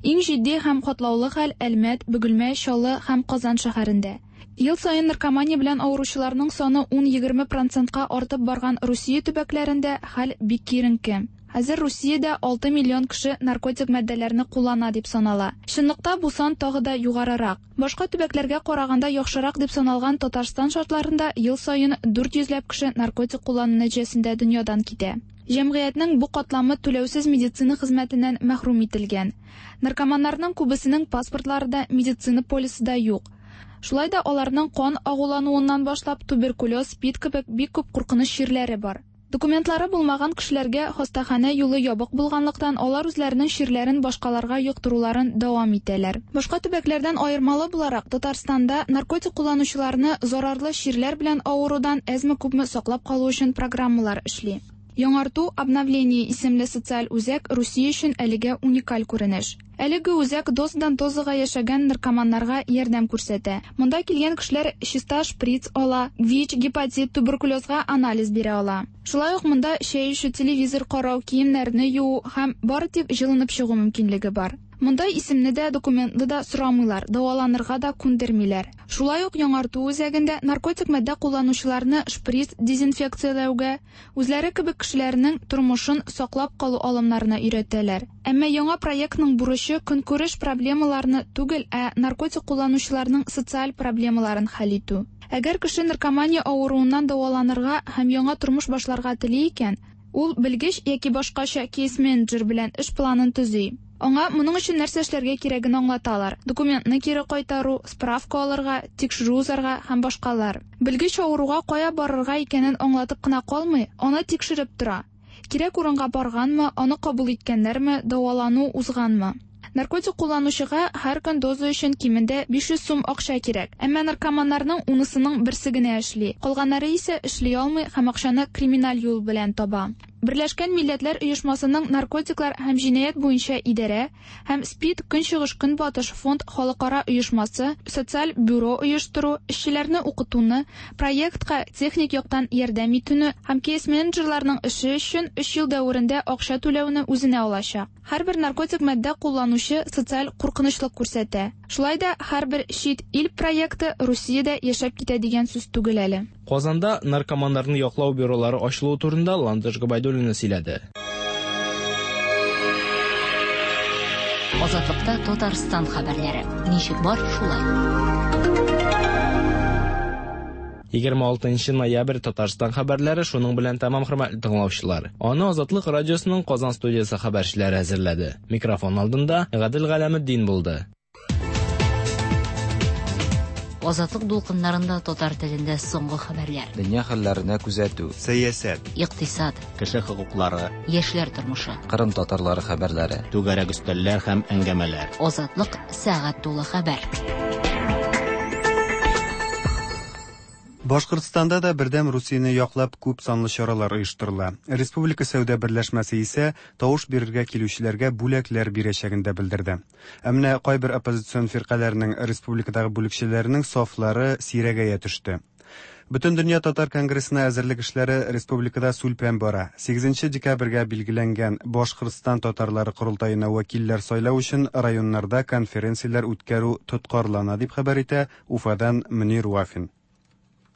Иң җитди һәм катлаулы хәл Әлмәт, Бөгелмә, Чаллы һәм Казан шәһәрендә. Ел саен наркомания белән авыручыларның саны ун-егерме процентка артып барган Русия төбәкләрендә хәл бик киеренке. Хәзер Русиядә алты миллион кеше наркотик матдәләрне куллана дип санала. Чынлыкта бу сан тагы да югарырак. Башка төбәкләргә караганда яхшырак дип саналган Татарстан шартларында ел саен дүрт йөзләп кеше наркотик куллану нәтиҗәсендә дөньядан китә. Җәмгыятьнең бу катламы түләүсез медицина хезмәтеннән мәхрүм ителгән. Наркоманнарның күбесенең паспортлары да, медицина полисы да юк. Шулай да аларның кан агулануыннан башлап туберкулез, СПИД кебек бик күп куркыныч чирләре бар. Документлары булмаган кешеләргә хастаханә юлы ябык булганлыктан алар үзләренең чирләрен башкаларга йоктыруларын дәвам итәләр. Башка төбәкләрдән аермалы буларак Татарстанда наркотик кулланучыларны зарарлы чирләр белән авырудан әзме-күпме саклап калу өчен программалар эшли. Яңарту обновление исемле социаль үзәк Русия өчен әлегә уникаль күренеш. Әлеге үзәк дозадан дозага яшәгән наркоманнарга ярдәм күрсәтә. Монда килгән кешеләр чиста шприц ала, ВИЧ, гепатит, туберкулезга анализ бирә ала. Шулай ук монда чәй эчү, телевизор карау, киемнәрне юу һәм бары тик җылынып чыгу мөмкинлеге бар. Монда исемне дә, документны да сорамыйлар, дәваланырга да күндермиләр. Шулай ук яңарту үзәгендә наркотик матдә кулланучыларны шприц дезинфекцияләүгә, үзләре кебек кешеләрнең тормышын саклап калу алымнарына өйрәтәләр. Әмма яңа проектның бурычы көнкүреш проблемаларны түгел, ә наркотик кулланучыларның социаль проблемаларын хәл итү. Әгәр кеше наркомания авыруыннан дәваланырга һәм яңа тормыш башларга тели икән, ул белгеч яки башкача кейс-менеджер белән эш планын төзи. Аңа моның өчен нәрсә эшләргә кирәген аңлаталар. Документны кире кайтару, справка алырга, тикшерү узарга һәм башкалар. Белгеч авыруга кая барырга икәнен аңлатып кына калмый, аны тикшереп тора. Кирәк урынга барганмы, аны кабул иткәннәрме, дәвалану узганмы? Наркотик кулланучыга һәр көн доза өчен кимендә биш йөз сум акча кирәк. Әмма наркоманнарның унысының берсе генә эшли. Калганнары исә эшли алмый һәм акчаны криминаль юл белән таба. Берләшкән Милләтләр Оешмасының наркотиклар һәм җинаять буенча идарә һәм СПИД Көнчыгыш Көнбатыш фонд халыкара оешмасы социаль бюро оештыру, эшчеләрне укытуны, проектка техник яктан ярдәм итүне һәм кейс-менеджерларның эше өчен өч ел дәверендә акча түләүне үзенә алачак. Һәрбер наркотик матдә кулланучы социаль куркынычлык күрсәтә. Шулай да һәрбер чит ил проекты Русиядә яшәп китә дигән сүз түгел әле. Казанда наркоманнарны яклау бюролары ачылуы турында Ландыш Габайдуллина сөйләде. Азатлыкта Татарстан хәбәрләре. Ничек бар, шулай. егерме алтынчы ноябрь Татарстан хәбәрләре шуның белән тәмам, хөрмәтле тыңлаучылар. Аны Азатлык радиосының Казан студиясе хәбәрчеләре әзерләде. Микрофон алдында Гадел Галәметдин булды. Азатлык дулкыннарында татар телендә соңгы хәбәрләр. Дөнья хәлләренә күзәтү, сәясәт, икътисад, кеше хокуклары, яшьләр тормышы, Кырым татарлары хәбәрләре, түгәрәк өстәлләр һәм әңгәмәләр. Азатлык сәгать тулы хәбәр. Башкортстанда да Бердәм Русияне яклап күп санлы чаралар оештырыла. Республика сәүдә берләшмәсе исә тавыш бирергә килүчеләргә бүләкләр бирәчәген дә белдерде. Ә менә кайбер оппозицион фиркаләрнең республикадагы бүлекчәләренең сафлары сирәгәя төште. Бөтендөнья татар конгрессына әзерлек эшләре республикада сүлпән бара. сигезенче декабрьгә билгеләнгән Башкортстан татарлары корылтаена вәкилләр сайлау өчен районнарда конференцияләр үткәрү тоткарлана дип хәбәр итә Уфадан Мөнир Вафин.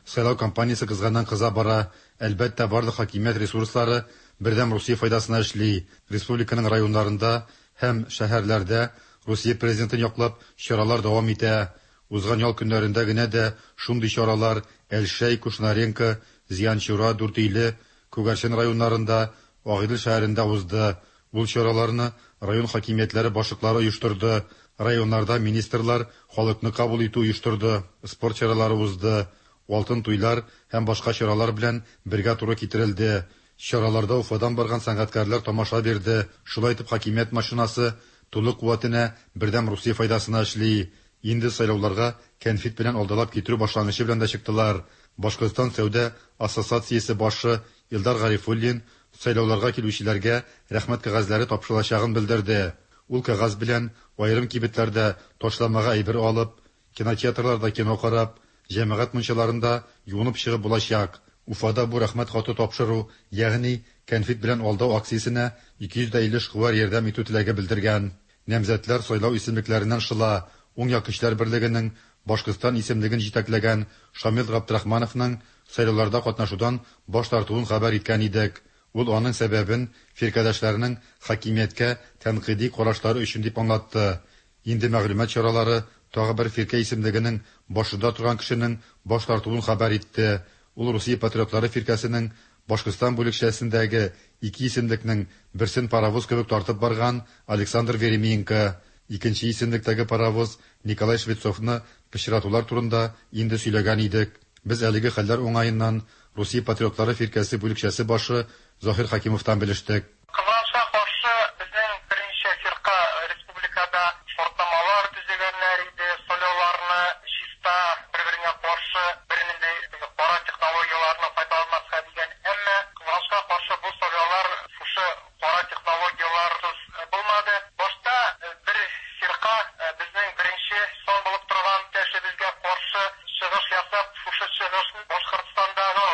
Сайлау кампаниясе кызганнан кыза бара. Әлбәттә, барлык хакимият ресурслары Бердәм Русия файдасына эшли. Республиканың районнарында һәм шәһәрләрдә Русия президентын яклап чаралар дәвам итә. Узган ял көннәрендә генә дә шундый чаралар Әлшәй, Кушнаренко, Зиянчура, Дүртөйле, Күгәрчен районнарында, Агыйдел шәһәрендә узды. Ул чараларны район хакимиятләре башлыклары оештырды. Районнарда министрлар халыкны кабул итү оештырды. Спорт чаралары узды. Алтын туйлар һәм башка чаралар белән бергә туры китерелде. Чараларда Уфадан барган сәнгатькәрләр тамаша бирде. Шулай итеп хакимият машинасы тулы куәтенә Бердәм Русия файдасына эшли. Инде сайлауларга кәнфит белән алдалап китерү башлангычы белән дә чыктылар. Башкортстан сәүдә ассоциациясе башы Илдар Гарифуллин сайлауларга килүчеләргә рәхмәт кәгазьләре тапшырылачагын белдерде. Ул кәгазь белән аерым кибетләрдә ташламага әйбер алып, кинотеатрларда кино карап, җәмәгать мунчаларында юынып чыгып булачак. Уфада бу рәхмәт хаты тапшыру, ягъни кәнфит белән алдау акциясенә ике йөз илле эшкуар ярдәм итү теләге белдергән. Намзәтләр сайлау исемлекләреннән шыла. Уң як көчләр берлегенең Башкортстан исемлеген җитәкләгән Шамил Габдрахмановның сайлауларда катнашудан баш тартуын хәбәр иткән идек. Ул аның сәбәбен фиркәдәшләренең хакимияткә тәнкыйди карашлары өчен дип аңлатты. Инде мәгълүмат чаралары тагы бер фиркә исемлегенең башында торган кешенең баш тартуын хәбәр итте. Ул Русия патриотлары фиркәсенең Башкортстан бүлекчәсендәге ике исемлекнең берсен паровоз кебек тартып барган Александр Веременко. Икенче исемлектәге паровоз Николай Швецовны пычратулар турында инде сөйләгән идек. Без әлеге хәлләр уңаеннан Русия патриотлары фиркәсе бүлекчәсе башы Заһир Хакимовтан белештек. Кызганычка каршы, безнең берничә фирка республикада шартнамалар төзегәннәр иде, сайлауларны чиста бер-беренә каршы бернинди кара технологияләрне файдаланмаска дигән. Әмма кызганычка каршы бу сайлаулар шушы кара технологияләрсез булмады. Башта бер фирка безнең беренче сан булып торган кешебезгә каршы чыгыш ясап, шушы чыгышны Башкортстандагы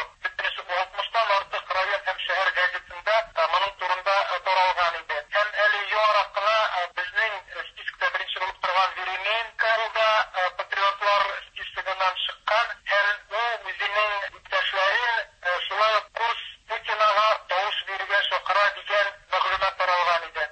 алтмыштан артык район һәм шәһәр газетында моның турында таралган иде. Һәм әле яңарак кына безнең спискта беренче булып торган Веременко да патриотлар списогыннан чыккан һәм ул үзенең иптәшләрен шулай ук курс Путинага тавыш бирергә чакыра дигән мәгълүмат таралган иде.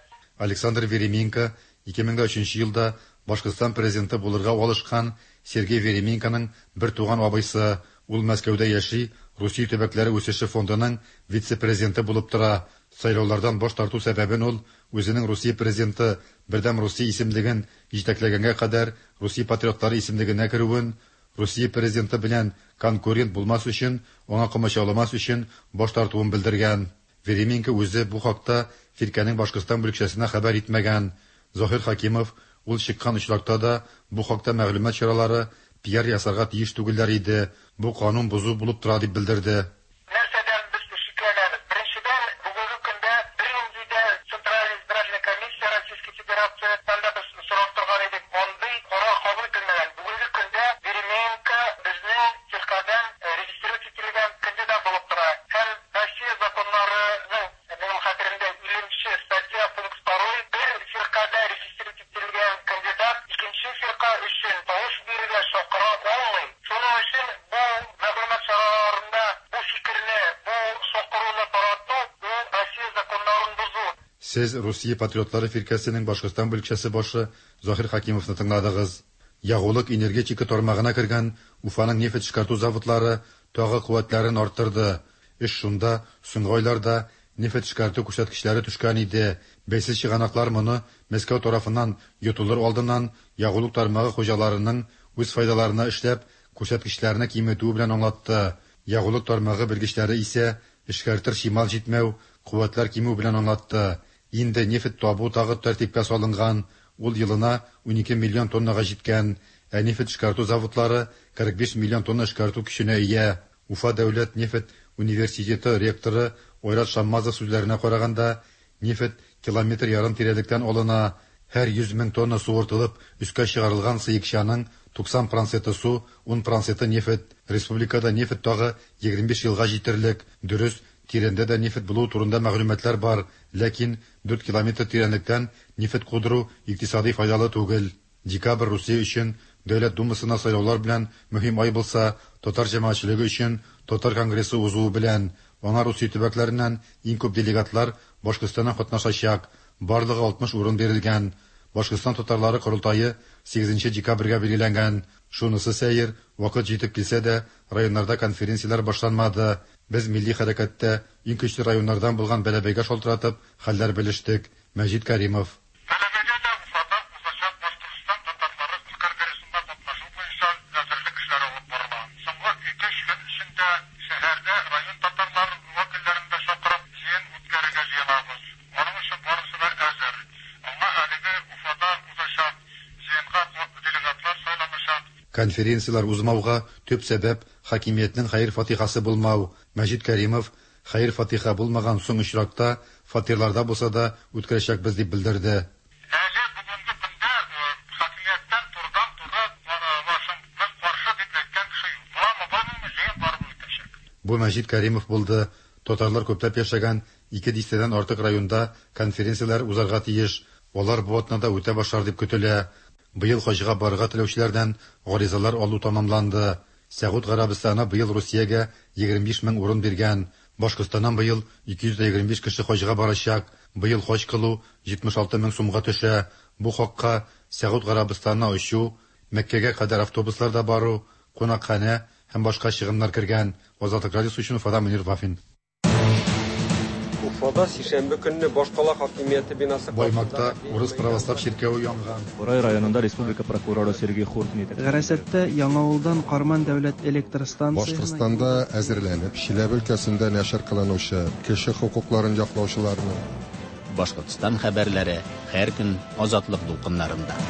Александр Веременко ике мең өченче елда Башкортстан президенты булырга алышкан Сергей Веременконың бер туган абыйсы. Ул Мәскәүдә яши, Русия төбәкләре үсеше фондының вице-президенты булып тора. Сайлаулардан баш тарту сәбәбен ул үзенең Русия президенты Бердәм Русия исемлеген җитәкләгәнгә кадәр Русия патриотлары исемлегенә керүен, Русия президенты белән конкурент булмас өчен, аңа комачауламас өчен баш тартуын белдергән. Веременко үзе бу хакта фиркәнең Башкортстан бүлекчәсенә хәбәр итмәгән. Заһир Хакимов ул чыккан очракта да бу хакта мәгълүмат чаралары пиар ясарга тиеш түгелләр иде. Бу канун бозу булып тора дип белдерде. Нәрсәдән без шикләнәбез? Беренчедән, бүгенге көндә бернинди дә Централь избирательная комиссия Российской Федерации анда без сорап торган идек, андый карар кабул ителмәгән. Бүгенге көндә Веременко безнең фиркәдән регистрировать ителгән кандидат булып тора. Һәм Россия законнарының, минем хәтеремдә, илленче статья пункт второй, бер фиркәдә регистрировать ителгән кандидат икенче фирка өчен тавыш бирергә чакыра алмый. Шуның өчен бу мәгълүмат чараларында бу фикерне, бу чакыруны тарату, ул Россия законнарын бозу. Сез Русия патриотлары фиркәсенең Башкортстан бүлекчәсе башы Заһир Хакимовны тыңладыгыз. Ягулык энергетика тармагына кергән Уфаның нефть эшкәртү заводлары тагы куәтләрен арттырды. Эш шунда, соңгы айларда нефть эшкәртү күрсәткечләре төшкән иде. Бәйсез чыганаклар моны Мәскәү тарафыннан йотылыр алдыннан ягулык тармагы хуҗаларының үз файдаларына эшләп күрсәткечләрне киметүе белән аңлатты. Ягулык тармагы белгечләре исә эшкәртер чимал җитмәү, куәтләр кимү белән аңлатты. Инде нефть табу тагы тәртипкә салынган, ул елына унике миллион тоннага җиткән, ә нефть эшкәртү заводлары кырык биш миллион тонна эшкәртү көченә ия. Уфа дәүләт нефть университеты ректоры Айрат Шаммазов сүзләренә караганда, нефть километр ярым тирәлектән алына. Һәр йөз мең тонна суыртылып өскә чыгарылган сыекчаның туксан проценты су, ун проценты нефть. Республикада нефть тагы егерме биш елга җитерлек. Дөрес, тирәндә дә нефть булу турында мәгълүматлар бар, ләкин дүрт километр тирәнлектән нефть кудыру икътисади файдалы түгел. Декабрь Русия өчен Дәүләт Думасына сайлаулар белән мөһим ай булса, татар җәмәгатьчелеге өчен Татар конгрессы узуы белән аңа Русия төбәкләреннән иң күп делегатлар Башкортстаннан катнашачак. Барлыгы алтмыш урын бирелгән. Башкортстан татарлары корылтайы сигезенче декабрьгә билгеләнгән. Шунысы сәер, вакыт җитеп килсә дә, районнарда конференцияләр башланмады. Без милли хәрәкәттә иң көчле районнардан булган Бәләбәйгә шалтыратып хәлләр белештек. Мәҗит Каримов. Конференциялар узмауга төп сәбәп хакимиятнең хәер-фатихасы булмау. Мәҗит Каримов хәер-фатиха булмаган соң очракта фатирларда булса да үткәрәчәкбез дип белдерде. Әле бүгенге көндә хакимияттән турыдан-туры без каршы дип әйткән кеше юк. Буламы, булмыймы, җыен барып үтәчәк. Бу Мәҗит Каримов булды. Татарлар күпләп яшәгән ике дистәдән артык районда конференцияләр узарга тиеш. Алар бу атнада үтә башлар дип көтелә. Быел хаҗга барырга теләүчеләрдән гаризалар алу тамамланды. Сәгуд Гарәбстаны быел Русиягә егерме биш мең урын биргән. Башкортстаннан быел ике йөз егерме биш кеше хаҗга барачак. Быел хаҗ кылу җитмеш алты мең сумга төшә. Бу хакка Сәгуд Гарәбстанына очу, Мәккәгә кадәр автобусларда бару, кунакханә һәм башка чыгымнар кергән. Азатлык радиосы өчен Уфадан Мөнир Вафин. Уфада сишәмбе көнне башкала хакимияте бинасы Баймакта урыс православ чиркәве янган. Бурай районында республика прокуроры Сергей Хуртин. Гарасәттә Яңавылдан Карман дәүләт электр станциясенә Башкортстанда әзерләнеп, Чиләбе өлкәсендә нәшер кылынучы кеше хокукларын яклаучыларны Башкортстан хәбәрләре һәр көн Азатлык дулкыннарында.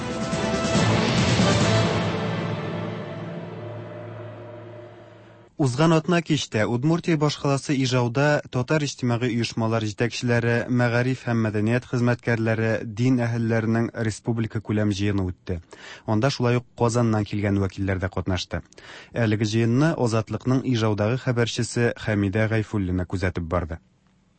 Узган атна кичтә Удмуртия башкаласы Ижауда татар иҗтимагый оешмалар җитәкчеләре, мәгариф һәм мәдәният хезмәткәрләре, дин әһелләренең республика күләм җыены үтте. Анда шулай ук Казаннан килгән вәкилләр дә катнашты. Әлеге җыенны Азатлыкның Ижаудагы хәбәрчесе Хәмидә Гайфуллина күзәтеп барды.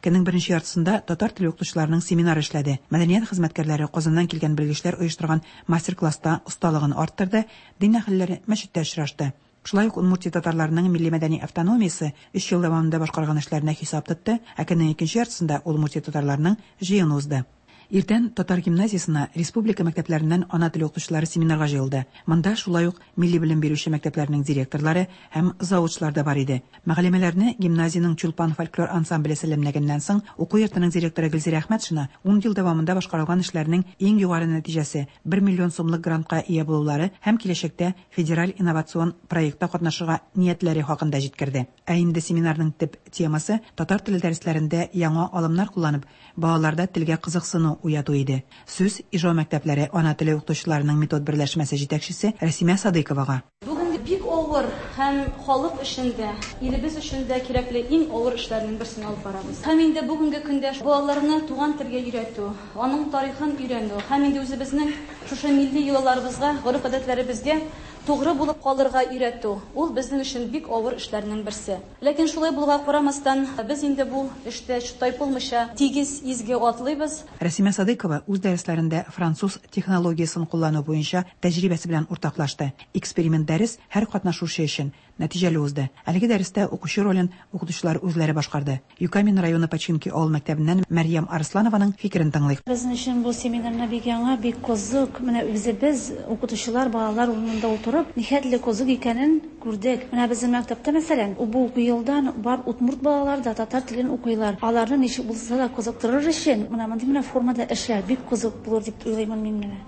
Көннең беренче яртысында татар теле укытучыларының семинары эшләде. Мәдәният хезмәткәрләре Казаннан килгән белгечләр оештырган мастер-класста осталыгын арттырды, дин әһелләре мәчеттә очрашты. Шулай ук Удмуртия татарларының милли мәдәни автономиясе өч ел дәвамында башкарган эшләренә хисап тотты, ә көннең икенче яртысында Удмуртия татарларының җыены узды. Иртән татар гимназиясенә республика мәктәпләреннән ана теле укытучылары семинарга җыелды. Монда шулай ук милли белем бирүче мәктәпләрнең директорлары һәм завучлар да бар иде. Мәгълүматларны гимназиянең Чулпан фольклор ансамбле сәламләгәннән соң уку йортының директоры Гөлзирә Әхмәтшина ун ел дәвамында башкарылган эшләрнең иң югары нәтиҗәсе бер миллион сумлык грантка ия булулары һәм киләчәктә федераль инновацион проектта катнашырга ниятләре хакында җиткерде. Ә инде семинарның төп темасы татар теле дәресләрендә яңа алымнар кулланып, балаларда телгә кызыксыну уяту иде. Сүз Ижау мәктәпләре ана теле укытучыларының метод берләшмәсе җитәкчесе Рәсимә Садыйковага. Бүген бик авыр һәм халык өчен дә, илебез өчен дә кирәкле иң авыр эшләрнең берсен алып барабыз. Һәм инде бүгенге көндә балаларны туган телгә өйрәтү, аның тарихын өйрәнү һәм инде үзебезнең шушы милли йолаларыбызга, гореф-гадәтләребезгә тугры булып калырга өйрәтү, ул безнең өчен бик авыр эшләрнең берсе. Ләкин шулай булуга карамастан, без инде бу эштә тайпылмыйча тигез изге атлыйбыз. Рәсимә Садыйкова үз дәресләрендә француз технологиясен куллану буенча тәҗрибәсе белән уртаклашты. Эксперимент дәрес һәр катнашучы өчен нәтиҗәле узды. Әлеге дәрестә укучы ролен укытучылар үзләре башкарды. Юкамин районы Починки авыл мәктәбеннән Мәрьям Арсланованың фикерен тыңлыйк. Безнең өчен бу семинарны бик яңа, бик кызык. Менә үзебез укытучылар, балалар урынында утырып, нихәтле кызык икәнен күрдек. Менә безнең мәктәптә, мәсәлән, бу елдан бар удмурт балалар да татар телен укыйлар. Аларны ничек булса да кызыктырыр өчен менә мондый менә формада эшләр бик кызык булыр дип уйлыйм мин менә.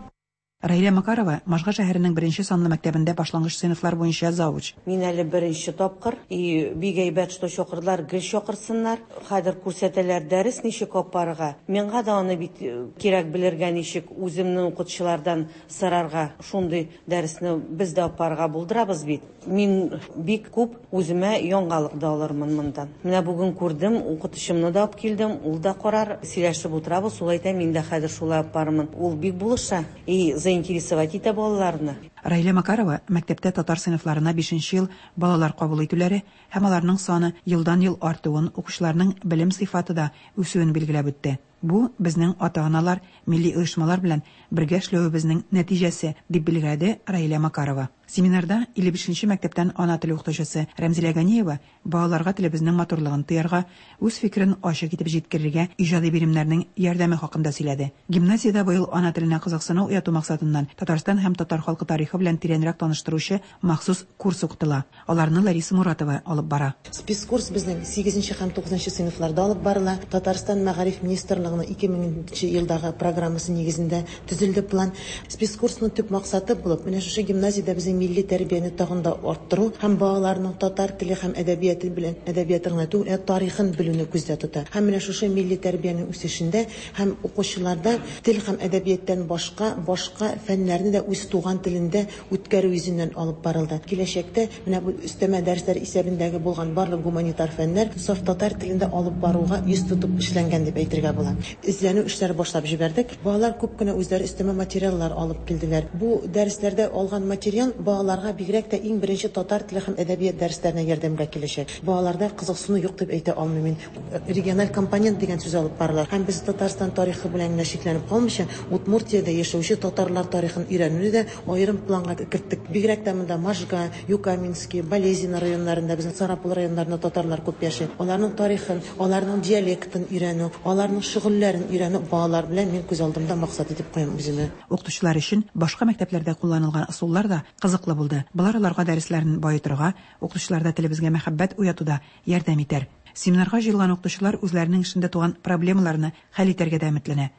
Раилә Макарова Можга шәһәренең беренче санлы мәктәбендә башлангыч сыйныфлар буенча завуч. Мин әле беренче тапкыр и бик әйбәт, что чакырдылар, гел чакырсыннар. Хәзер күрсәтәләр дәрес ничек алып барырга. Миңа да аны бит кирәк белергә, ничек үземнең укытучылардан сорарга. Шундый дәресне без дә алып барырга булдырабыз бит. Мин бик күп үземә яңалык да алырмын мондан. Менә бүген күрдем, укытучымны да алып килдем, ул да карар, сөйләшеп утырабыз, ул әйтә, мин дә хәзер шулай алып барырмын. Ул бик булыша. И заинтересовать итә балаларны. Раилә Макарова мәктәптә татар сыйныфларына бишенче ел балалар кабул итүләре һәм аларның саны елдан-ел артуын, укучыларның белем сыйфаты да үсүен билгеләп үтте. Бу безнең ата-аналар, милли оешмалар белән бергә эшләвебезнең нәтиҗәсе, дип билгеләде Раилә Макарова. Семинарда илле бишенче мәктәптән ана теле укытучысы Рәмзилә Ганиева балаларга телебезнең матурлыгын тоярга, үз фикерен ачык итеп җиткерергә иҗади биремнәрнең ярдәме хакында сөйләде. Гимназиядә быел ана теленә кызыксыну уяту максатыннан Татарстан һәм татар халкы тарихы белән тирәнрәк таныштыручы махсус курс укытыла. Аларны Лариса Муратова алып бара. Спецкурс безнең сигезенче һәм тугызынчы сыйныфларда алып барыла. Татарстан мәгариф министрлыгының ике меңенче елдагы программасы нигезендә төзелде план. Спецкурсның төп максаты булып, менә шушы гимназиядә безнең милли тәрбияне тагын да арттыру һәм балаларның татар теле һәм әдәбияты белән әдәбияты гына түгел, ә тарихын белүне күздә тота. Һәм менә шушы милли тәрбиянең үсешендә һәм укучыларда тел һәм әдәбияттан башка башка фәннәрне дә үз туган телендә үткәрү йөзеннән алып барылды. Киләчәктә менә бу өстәмә дәресләр исәбендәге булган барлык гуманитар фәннәр саф татар телендә алып баруга йөз тотып эшләнгән дип әйтергә була. Эзләнү эшләре башлап җибәрдек. Балалар күп кенә үзләре өстәмә материаллар алып килделәр. Бу дәресләрдә алган материал балаларга бигрәк тә иң беренче татар теле һәм әдәбият дәресләренә ярдәмгә киләчәк. Балаларда кызыксыну юк дип әйтә алмыйм мин. Региональ компонент дигән сүз алып барыла. Һәм без Татарстан тарихы белән генә чикләнеп калмыйча, Удмуртиядә яшәүче татарлар тарихын өйрәнүне дә аерым планга керттек. Бигрәк тә монда Можга, Юкаменский, Балезино районнарында, безнең Сарапул районнарында татарлар күп яши. Аларның тарихын, аларның диалектын өйрәнү, аларның шөгыльләрен өйрәнү балалар белән мин күз алдымда максат итеп куям үземә. Укытучылар өчен башка мәктәпләрдә кулланылган ысуллар да кызыклы булды. Болар аларга дәресләрен баетырга, укытучыларда телебезгә мәхәббәт уятуда ярдәм итәр. Семинарга җыелган укытучылар үзләренең эшендә туган проблемаларны хәл итәргә дә өметләнә.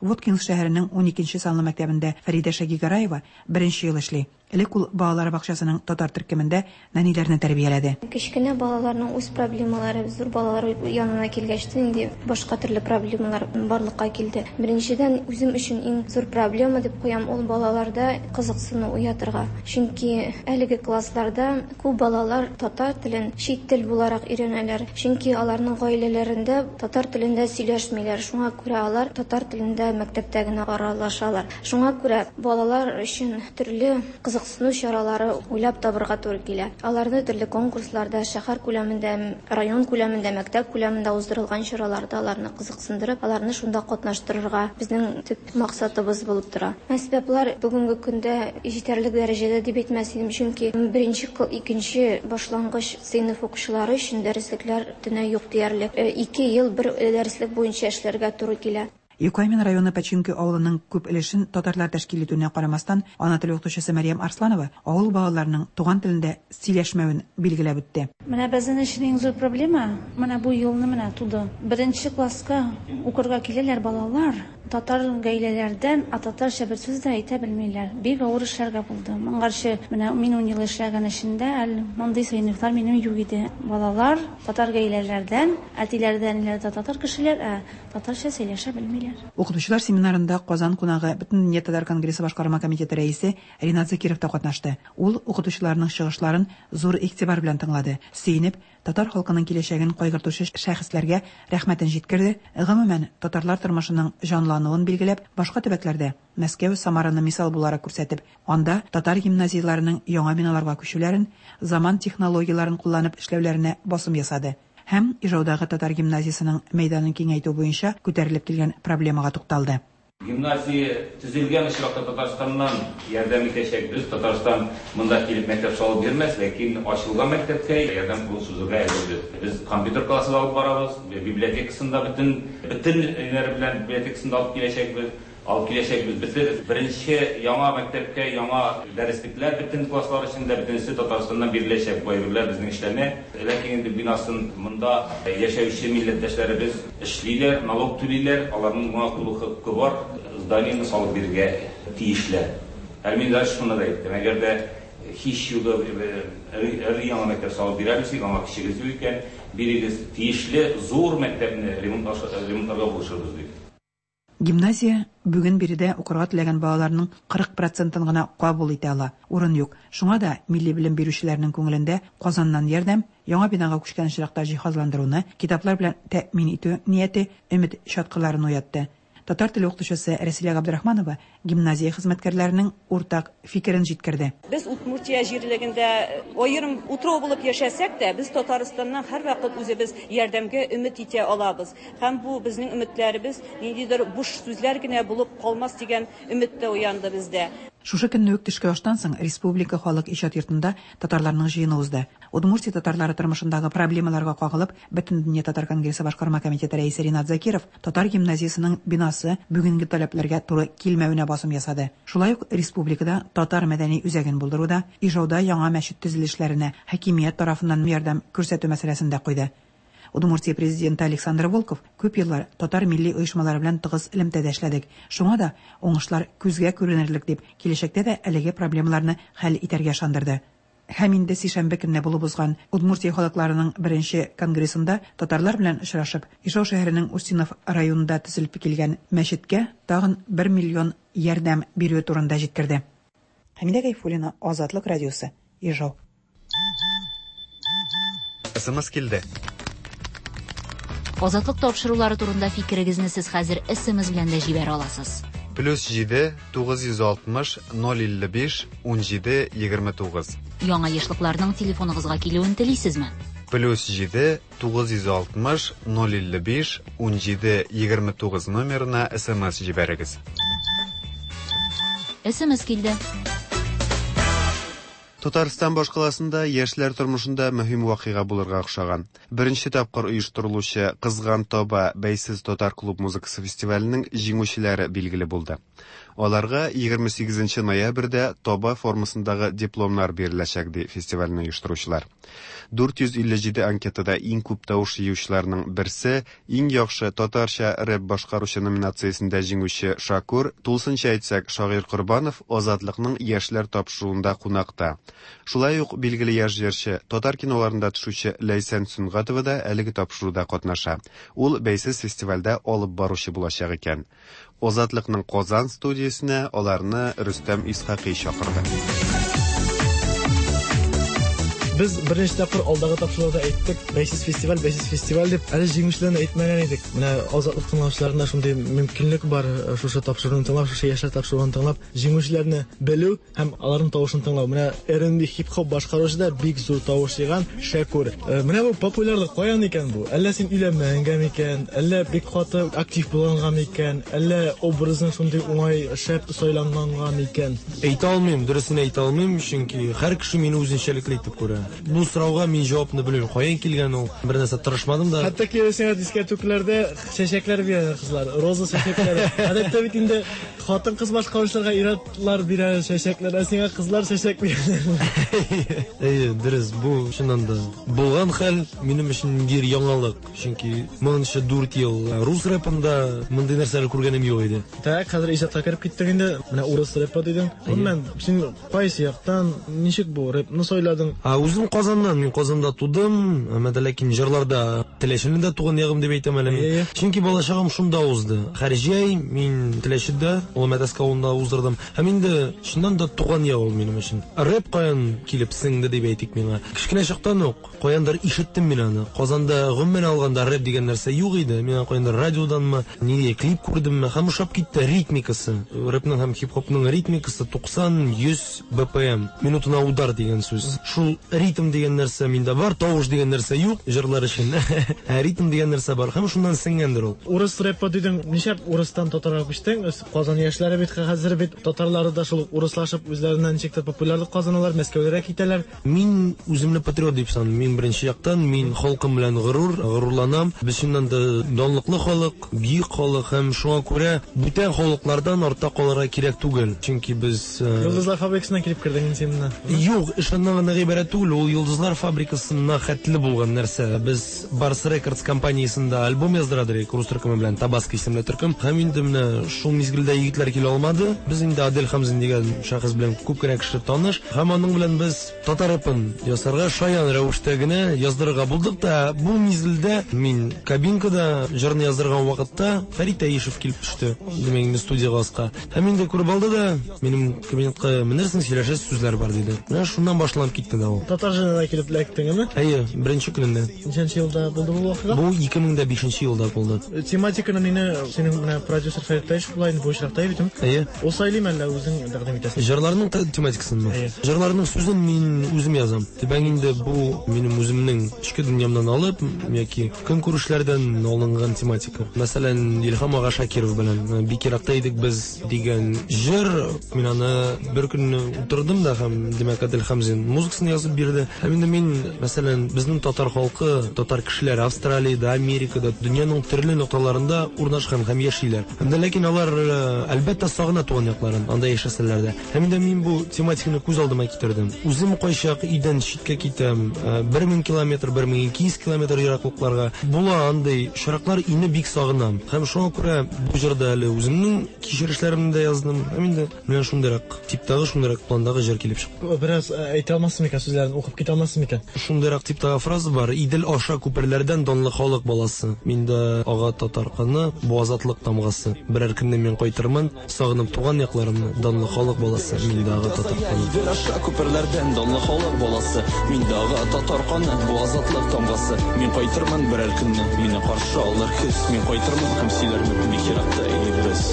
Воткинск шәһәренең ун икенче санлы мәктәбендә Фәридә Шагигараева беренче ел эшли. Элек ул балалар бакчасының татар төркемендә нәниләрне тәрбияләде. Кечкенә балаларның үз проблемалары, зур балалар янына килгәч инде башка төрле проблемалар барлыкка килде. Беренчедән, үзем өчен иң зур проблема дип куям ул балаларда кызыксыну уятырга. Чөнки әлеге классларда күп балалар татар телен чит тел буларак өйрәнәләр. Чөнки аларның гаиләләрендә татар телендә сөйләшмиләр. Шуңа күрә алар татар телендә мәктәптә генә аралашалар. Шуңа күрә балалар өчен төрле кызыксыну чаралары уйлап табырга туры килә. Аларны төрле конкурсларда, шәһәр күләмендә, район күләмендә, мәктәп күләмендә уздырылган чараларда аларны кызыксындырып, аларны шунда катнаштырырга безнең төп максатыбыз булып тора. Әсбаплар бүгенге көндә җитәрлек дәрәҗәдә дип әйтмәс идем, чөнки беренче, икенче башлангыч сыйныф укучылары өчен дәреслекләр төнә юк диярлек. Ике ел бер дәреслек буенча эшләргә туры килә. Юкамен районы Пәчинке авылының күп өлешен татарлар тәшкил итүенә карамастан, ана теле укытучысы Мәрьям Арсланова авыл балаларының туган телендә сөйләшмәвен билгеләп үтте. Менә безнең өчен иң зур проблема, менә бу елны менә туды. Беренче класска укырга киләләр балалар, татар гаиләләрдән, а татарча бер сүз дә әйтә белмиләр. Бик авыр эшләргә булды. Моңарчы менә мин ун ел эшләгән эшендә әле мондый сыйныфлар минем юк иде. Балалар татар гаиләләрдән, әтиләрдән, әниләр дә татар кешеләр, ә татарча сөйләшә белмиләр. Укытучылар семинарында Казан кунагы Бөтендөнья татар конгрессы башкарма комитеты рәисе Ринат Закиров та катнашты. Ул укытучыларның чыгышларын зур игътибар белән тыңлады. Сөенеп, татар халкының киләчәген кайгыртучы шәхесләргә рәхмәтен җиткерде. Гомумән, татарлар тормышының җанлануын билгеләп, башка төбәкләрдә Мәскәү, Самараны мисал буларак күрсәтеп, анда татар гимназияләренең яңа биналарга күчүләрен, заман технологияләрен кулланып эшләүләренә басым ясады. Һәм Ижаудагы татар гимназиясының мәйданын киңәйтү буенча күтәрелеп килгән проблемага тукталды. Гимназия төзелгән очракта Татарстаннан ярдәм итәчәкбез. Татарстан монда килеп мәктәп салып бирмәс, ләкин ачылган мәктәпкә ярдәм кулын сузырга әзербез. Без компьютер классы алып барабыз, библиотекасын да бөтен бөтен өйләре белән библиотекасын да алып киләчәкбез. Алып киләчәкбез. Бөтен беренче яңа мәктәпкә яңа дәреслекләр бөтен класслар өчен дә бөтенесе Татарстаннан биреләчәк. Бу әйберләр безнең эшләнә. Ләкин инде бинасын монда яшәүче милләттәшләребез эшлиләр, налог түлиләр, аларның моңа тулы хокукы бар, зданиене салып бирергә тиешләр. Әле мин дә шуны да әйттем, әгәр дә һич югы өр яңа мәктәп салып бирәбез, аңа кешегез юк икән, бирегез тиешле зур мәктәпне ремонтларга булышырбыз дип. Гимназия бүген биредә укырга теләгән балаларның кырык процентын гына кабул итә ала. Урын юк. Шуңа да милли белем бирүчеләрнең күңелендә Казаннан ярдәм, яңа бинага күчкән очракта җиһазландыруны, китаплар белән тәэмин итү нияте өмет чаткыларын уятты. Татар теле укытучысы Рәсилә Габдрахманова гимназия хезмәткәрләренең уртак фикерен җиткерде. Без Удмуртия җирлегендә аерым утрау булып яшәсәк тә, без Татарстаннан һәрвакыт үзебез ярдәмгә өмет итә алабыз. Һәм бу безнең өметләребез ниндидер буш сүзләр генә булып калмас дигән өмет тә уянды бездә. Шушы көнне үк төшке аштан соң Республика халык иҗат йортында татарларның җыены узды. Удмуртия татарлары тормышындагы проблемаларга кагылып, Бөтендөнья татар конгрессы башкарма комитеты рәисе Ринат Закиров татар гимназиясының бинасы бүгенге таләпләргә туры килмәвенә басым ясады. Шулай ук республикада татар мәдәни үзәген булдыруда, Ижауда яңа мәчет төзелешләренә хакимият тарафыннан ярдәм күрсәтү мәсьәләсен дә куйды. Удмуртия президенты Александр Волков күп еллар татар милли оешмалары белән тыгыз элемтәдә эшләдек. Шуңа да уңышлар күзгә күренерлек дип, киләчәктә дә әлеге проблемаларны хәл итәргә ышандырды. Һәм инде сишәмбе көнне булып узган Удмуртия халыкларының беренче конгрессында татарлар белән очрашып, Ижау шәһәренең Устинов районында төзелеп килгән мәчеткә тагын бер миллион ярдәм бирү турында җиткерде. Хәмидә Гайфуллина, Азатлык радиосы, Ижау. Эс Эм Эс килде. Азатлык тапшырулары турында фикерегезне сез хәзер Эс Эм Эс белән дә җибәрә аласыз. Плюс җиде, тугыз йөз алтмыш, ноль илле биш, ун җиде, егерме тугыз. Яңа ешлыкларның телефоныгызга килүен телисезме? Плюс җиде, тугыз йөз алтмыш, ноль илле биш, ун җиде, егерме тугыз номерына Эс Эм Эс җибәрегез. Эс Эм Эс килде. Татарстан башкаласында яшьләр тормышында мөһим вакыйга булырга охшаган. Беренче тапкыр оештырылучы Кызган таба бәйсез татар клуб музыкасы фестиваленең җиңүчеләре билгеле булды. Аларга егерме сигезенче ноябрьдә таба формасындагы дипломнар биреләчәк, ди фестивальне оештыручылар. дүрт йөз илле җиде анкетада иң күп тавыш җыючыларның берсе, иң яхшы татарча рэп башкаручы номинациясендә җиңүче Шакур, тулысынча әйтсәк, Шагыйрь Корбанов Азатлыкның яшьләр тапшыруында кунакта. Шулай ук билгеле яшь җырчы, татар киноларында төшүче Ләйсән Сөнгатова да әлеге тапшыруда катнаша. Ул бәйсез фестивальдә алып баручы булачак икән. Азатлыкның Казан студиясенә аларны Рөстәм Исхакый чакырды. Без беренче тапкыр алдагы тапшыруда әйттек, бәйсез фестиваль, бәйсез фестиваль дип, әле җиңүчеләрне әйтмәгән идек. Менә Азатлык тыңлаучыларында шундый мөмкинлек бар, шушы тапшыруны тыңлап, шушы яшьләр тапшыруын тыңлап, җиңүчеләрне белү һәм аларның тавышын тыңлау. Менә эр энд би хип-хоп башкаручы да бик зур тавыш җыйган Шәкүр. Менә бу популярлык каян икән бу? Әллә син өйләнмәгәнгә микән? Әллә бик каты актив булганга микән? Әллә образың шундый уңай шәп сайланганга микән? Әйтә алмыйм, дөресен әйтә алмыйм, чөнки һәр кеше мине үзенчәлекле итеп күрә. Бу сорауга мин җавапны белмим. Каян килгән ул? Бер нәрсә тырышмадым да. Хәтта киресенә дискотекаларда чәчәкләр бирә кызлар, роза чәчәкләре. Гадәттә бит инде хатын-кыз башкаручыларга ир-атлар бирә чәчәкләр, ә сиңа кызлар чәчәк бирә. Әйе, дөрес, бу чыннан да булган хәл минем өчен ниндидер яңалык. Чөнки моңынча дүрт ел рус рэпында мондый нәрсәләр күргәнем юк иде. Так, хәзер иҗатка кереп киттек инде. Менә урыс рэпы дидең. Гомумән, син кайсы яктан, ничек бу рэпны сайладың? А, үзем Казаннан, мин Казанда тудым, әмма дә ләкин җырларда Теләчене дә туган ягым дип әйтәм әле мин. Чөнки балачагым шунда узды. Һәр җәй мин Теләчедә, Олы Мәтәскә авылында уздырдым. Һәм инде чыннан да туган як ул минем өчен. Рэп каян килеп сеңде дип әйтик миңа. Кечкенә чактан ук каяндыр ишеттем мин аны. Казанда гомумән алганда рэп дигән нәрсә юк иде. Мин каяндыр радиоданмы, нинди клип күрдемме, һәм ошап китте ритмикасы. Рэпның һәм хип-хопның ритмикасы туксан йөз бэ пэ эм. Минутына удар дигән сүз. Шул ритм дигән нәрсә миндә бар, тавыш дигән нәрсә юк җырлар өчен. Ә ритм дигән нәрсә бар һәм шуннан сеңгәндер ул. Урыс рэпы дидең, нишләп урыстан татарга күчтең? Казан яшьләре бит хәзер бит татарлары да шул урыслашып үзләреннән ничектер популярлык казаналар, Мәскәүгә китәләр. Мин үземне патриот дип саныйм. Мин беренче яктан мин халкым белән горур, горурланам. Без чыннан да данлыклы халык, бөек халык һәм шуңа күрә бүтән халыклардан артта калырга кирәк түгел. Чөнки без Йолдызлар фабрикасына килеп кердең инде син менә. Юк, эш аннан гына гыйбарәт түгел, ул Йолдызлар фабрикасына хәтле булган нәрсә. Без Барс Рекордс компаниясендә альбом яздыра идек рус төркеме белән, Табаско исемле төркем. Һәм инде менә шул мизгелдә егетләр килә алмады. Без инде Адель Хамзин дигән шәхес белән күп кенә кеше таныш. Һәм аның белән без татар рэпын ясарга шаян рәвештә генә яздырырга булдык та, бу мизгелдә мин кабинкада җырны яздырган вакытта Фәрит Әишев килеп төште. Димәк, инде студияга аска. Һәм инде күреп алды да, минем кабинетка менерсең, сөйләшәсе сүзләр бар диде. Менә шуннан башланып китте дә ул. Татар җырына килеп эләктеңме? Әйе, беренче көнендә. Ничәнче елда булды бу вакыйга? Бу ике мең дә бишенче елда булды. Тематиканы мине синең менә продюсер Фәрит Әишев була инде бу очракта бит. Әйе. Ул сайлыйм әллә үзең тәкъдим итәсең? Җырларның тематикасынмы? Җырларның сүзен мин үзем язам. Димәк, инде бу минем үземнең эчке дөньямнан алып яки көнкүрешләрдән алынган тематика. Мәсәлән, Илһам ага Шакиров белән бик еракта идек без дигән җыр, мин аны бер көнне утырдым да һәм димәк Адель Хамзин музыкасын язып бирде. Һәм инде мин, мәсәлән, безнең татар халкы, татар кешеләре Австралиядә, Америкада, дөньяның төрле нокталарында урнашкан һәм яшиләр. Һәм дә ләкин алар әлбәттә сагына туган якларын, анда яшәсәләр дә. Һәм инде мин бу тематиканы күз алдыма китердем. Үзем кайчак өйдән читкә китәм, бер мең километр, бер мең ике йөз километр ераклыкларга. Була андый очраклар, өйне бик сагынам. Һәм шуңа күрә бу җырда әле үземнең кичерешләремне дә яздым. Һәм инде менә шундыйрак типтагы, шундыйрак пландагы җыр килеп чыкты. Бераз әйтә алмассың микән сүзләрен, укып китә алмассың микән? Шундыйрак типтагы фраза бар. Идел аша күперләрдән данлы халык баласы. Миндә ага татар каны, бу азатлык тамгасы. Берәр көнне мин кайтырмын, сагынып туган якларымны, данлы халык баласы. Миндә ага татар каны. Идел аша күперләрдән данлы халык баласы. Миндә ага татар каны, бу азатлык тамгасы. Мин кайтырмын берәр көнне, мине каршы алыр көз. Мин кайтырмын һәм сөйләрмен, бик еракта идек без.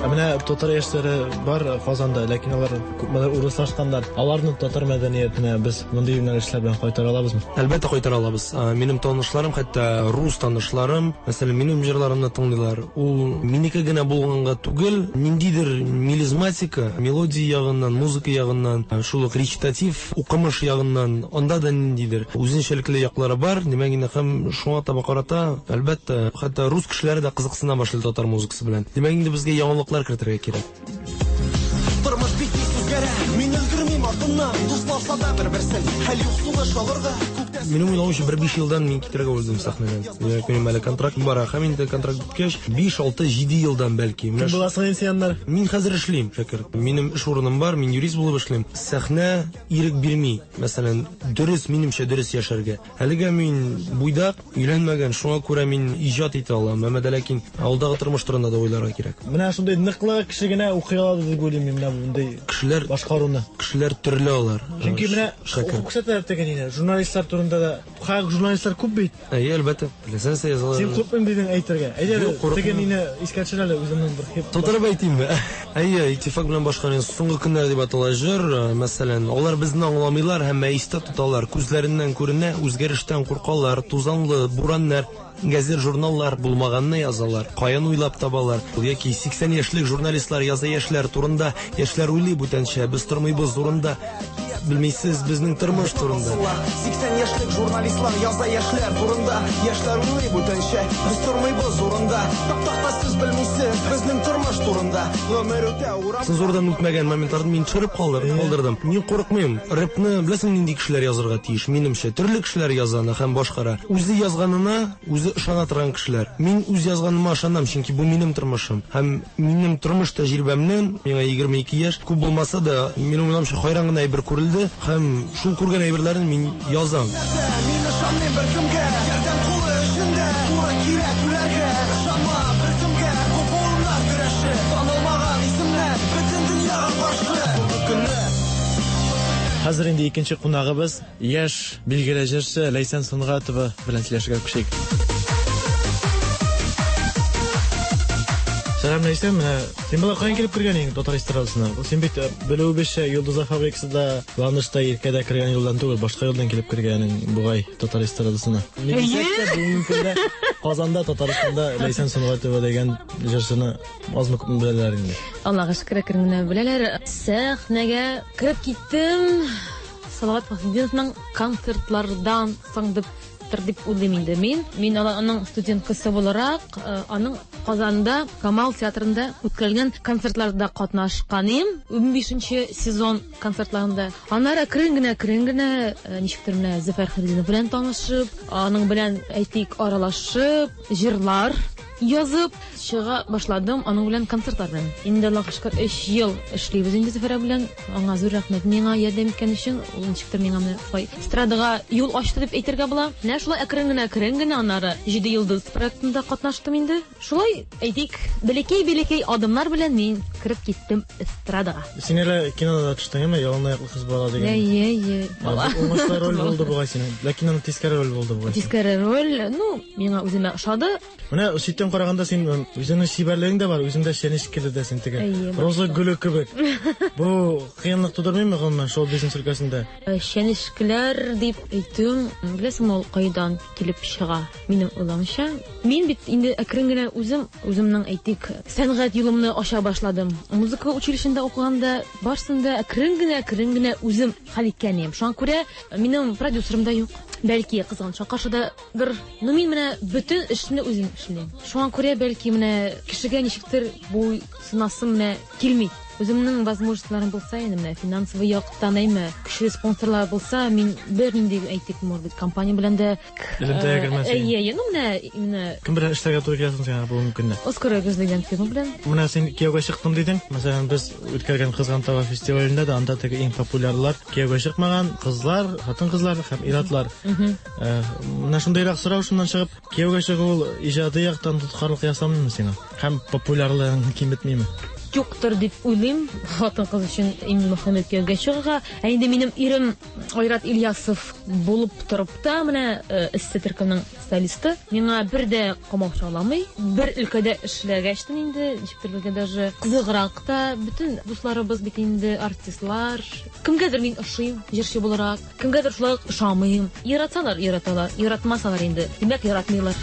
Ә менә татар яшьләре бар Казанда, ләкин алар күпмедер урыслашканнар. Аларны татар мәдәниятенә без мондый юнәлешләр белән кайтара алабызмы? Әлбәттә кайтара алабыз. Минем танышларым, хәтта рус танышларым, мәсәлән, минем җырларымны тыңлыйлар. Ул минеке генә булганга түгел, ниндидер мелизматика, мелодия ягыннан, музыка ягыннан, шул ук речитатив, укымыш ягыннан, анда да ниндидер үзенчәлекле яклары бар. Димәк, инде һәм шуңа таба карата, әлбәттә, хәтта рус кешеләре дә кызыксына башлый татар музыкасы белән. Димәк, инде безгә яңалыклар кертергә кирәк. Тормыш бик тиз үзгәрә, мин өлгермим артыннан, дусларса да бер-берсен, хәл юк сулыш алырга. Минем уйлавымча, бер биш елдан мин китәргә уйлыйм сәхнәдән. Димәк, минем әле контракт бар, һәм инде контракт беткәч, биш, алты, җиде елдан бәлки. Кем буласың инде син аннары? Мин хәзер эшлим, Шәкер. Минем эш урыным бар, мин юрист булып эшлим. Сәхнә ирек бирми, мәсәлән, дөрес, минемчә дөрес яшәргә. Әлегә мин буйдак, өйләнмәгән, шуңа күрә мин иҗат итә алам. Әмма дә ләкин алдагы тормыш турында да уйларга кирәк. Менә шундый ныклы кеше генә укый алады дип уйлыйм мин менә мондый кешеләр башкаруны. Кешеләр төрле алар. Чөнки менә Шәкер. укып күрсәтәләр теге нине, журналистлар турында да. Хак журналистлар күп бит. Әйе, әлбәттә. Теләсә нәрсә язалар. Син куркмыйм дидең әйтергә. Әйдә, Юк, курыкмыйм. теге нине искә төшер әле үземнең бер хип. Тутырып әйтимме? Әйе, Иттифак белән башкарган Соңгы көннәр дип атала җыр, мәсәлән, алар безне аңламыйлар һәм истә тоталар, күзләреннән күренә, үзгәрештән куркалар, тузанлы бураннар, газет журналлар булмаганны язалар, каян уйлап табалар. Яки сиксән яшьлек журналистлар яза яшьләр турында, яшьләр уйлый бүтәнчә, без тормыйбыз урында. Белмисез безнең тормыш турында. Сиксән яшьлек журналистлар яза яшьләр турында, яшьләр уйлый бүтәнчә, без тормыйбыз урында. Таптакта сез белмисез безнең тормыш турында. Гомер үтә урам. Цензурадан үтмәгән моментларны мин төшереп калдырдым, калдырдым. Мин курыкмыйм. Рэпны беләсең нинди кешеләр язырга тиеш, минемчә. Төрле кешеләр яза аны һәм башкара. Үзе язганына үзе ышана торган кешеләр. Мин үз язганыма ышанам, чөнки бу минем тормышым. Һәм минем тормыш тәҗрибәмнән, миңа егерме ике яшь, күп булмаса да, минем уйлавымча, хайран гына әйбер күрелде һәм шул күргән әйберләрне мин язам. Мин ышанмыйм беркемгә, ярдәм кулы эчендә, туры килә түләргә. Ышанма беркемгә, бу буыннар көрәше, танылмаган исемнәр бөтен дөньяга каршы. Соңгы көнне Хәзер инде икенче кунагыбыз, яшь билгеле җырчы Ләйсән Сөнгатова белән сөйләшергә күчик. Сәлам, Ләйсән, менә син болай каян килеп кергән идең татар эстрадасына? Син бит э, белүебезчә Йолдызлар фабрикасында Ланышта Иркәдә кергән юлдан түгел, башка юлдан килеп кергәнең бугай татар эстрадасына. Ни дисәк тә, бүгенге көндә Казанда, Татарстанда Ләйсән Сөнгатова дигән җырчыны азмы күпме беләләр инде. Аллага шөкер, әкрен генә беләләр. Сәхнәгә кереп киттем. Салават Фәхретдиновның концертлардан соң дип дип уйлыйм инде мин. Мин аның студенткасы буларак, э, аның Казанда Камал театрында үткәрелгән концертларда катнашкан идем. Унбишенче сезон концертларында. Аннары әкрен генә, әкрен генә, э, ничектер менә Зөфәр Хәйретдинов белән танышып, аның белән әйтик аралашып, җырлар язып чыга башладым аның белән концертлар белән. Инде Аллага шөкер, өч ел эшлибез инде Зөфәр белән. Аңа зур рәхмәт миңа ярдәм иткән өчен. Ул ничектер миңа менә шулай эстрадага юл ачты дип әйтергә була. Менә шулай әкрен генә, әкрен генә аннары Җиде йолдыз проектында катнаштым инде. Шулай әйтик, бәләкәй-бәләкәй адымнар белән мин кереп киттем эстрадага. Син әле кинода да төштең, әме? Ялан аяклы кыз бала дигән. Әйе, әйе. Уңышлы роль булды бугай синең. Ләкин аны тискәре роль булды бугай. Тискәре роль, ну, миңа үземә ошады. Менә читтән караганда син үзеңнең чибәрлегең дә бар, үзең дә чәнечкеле дә син теге. Әйе, Роза гөле кебек. Бу кыенлык тудырмыймы гомумән шоу-бизнес өлкәсендә? Чәнечкеләр дип әйтүем, беләсеңме, ул кайдан килеп чыга? Минем уйлавымча, мин бит инде әкрен генә үзем үземнең әйтик сәнгать юлымны ача башладым. Музыка училищесында укыганда барсын да әкрен генә, әкрен генә үзем хәл иткән идем. Шуңа күрә минем продюсерым да юк. Бәлки кызганычка каршы да бер, ну мин менә бөтен эшне үзем эшлим. Шуңа күрә бәлки менә кешегә ничектер бу сынасым менә килми. Үземнең возможностьларым булса, инде менә финансовый яктан әйме, көчле спонсорлар булса, мин бернинди әйтик, может быть, компания белән дә элемтәгә кермәс идең. Әйе, әйе, ну менә именно Кем белән эшләргә туры килә соң сиңа бүгенге көндә? Оскар Өгез дигән фирма белән. Менә син кияүгә чыктым дидең. Мәсәлән, без үткәргән Кызган таба фестивалендә дә анда теге иң популярлар кияүгә чыкмаган кызлар, хатын-кызлар һәм ир-атлар. Э, Менә шундыйрак сорау шуннан чыгып, кияүгә чыгу ул иҗади яктан тоткарлык ясамыймы сиңа? Һәм популярлыгың киметмиме? юктыр дип уйлыйм. Хатын-кыз өчен иң мөһиме кияүгә чыгуга. Ә инде минем ирем Айрат Ильясов булып торып та, менә Эссе төркеменең солисты, миңа бер дә комачауламый. Бер өлкәдә эшләгәчтен инде, ничектер безгә даже кызыграк та, бөтен дусларыбыз бит инде артистлар. Кемгәдер мин ошыйм, җырчы буларак, кемгәдер шулай ук ошамыйм. Яратсалар, яраталар, яратмасалар инде, димәк, яратмыйлар.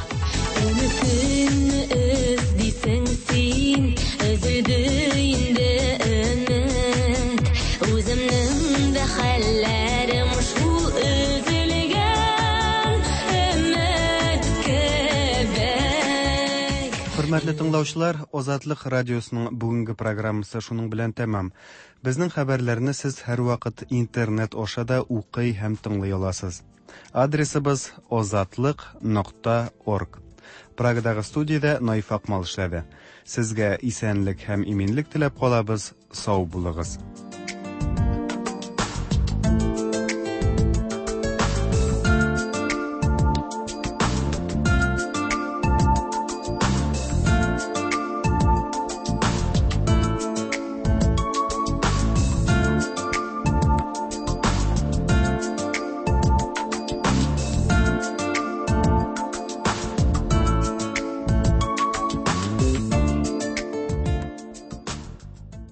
Өметеңне эзлисең син, өзелде инде өмет. Үземнең дә хәлләрем шул өзелгән өмет кебек. Хөрмәтле тыңлаучылар, Азатлык радиосының бүгенге программасы шуның белән тәмам. Безнең хәбәрләрне сез һәрвакыт интернет аша да укый һәм тыңлый аласыз. Адресыбыз озатлык нокта орг. Прагадагы студиядә Наиф Акмал эшләде. Сезгә исәнлек һәм иминлек теләп калабыз. Сау булыгыз.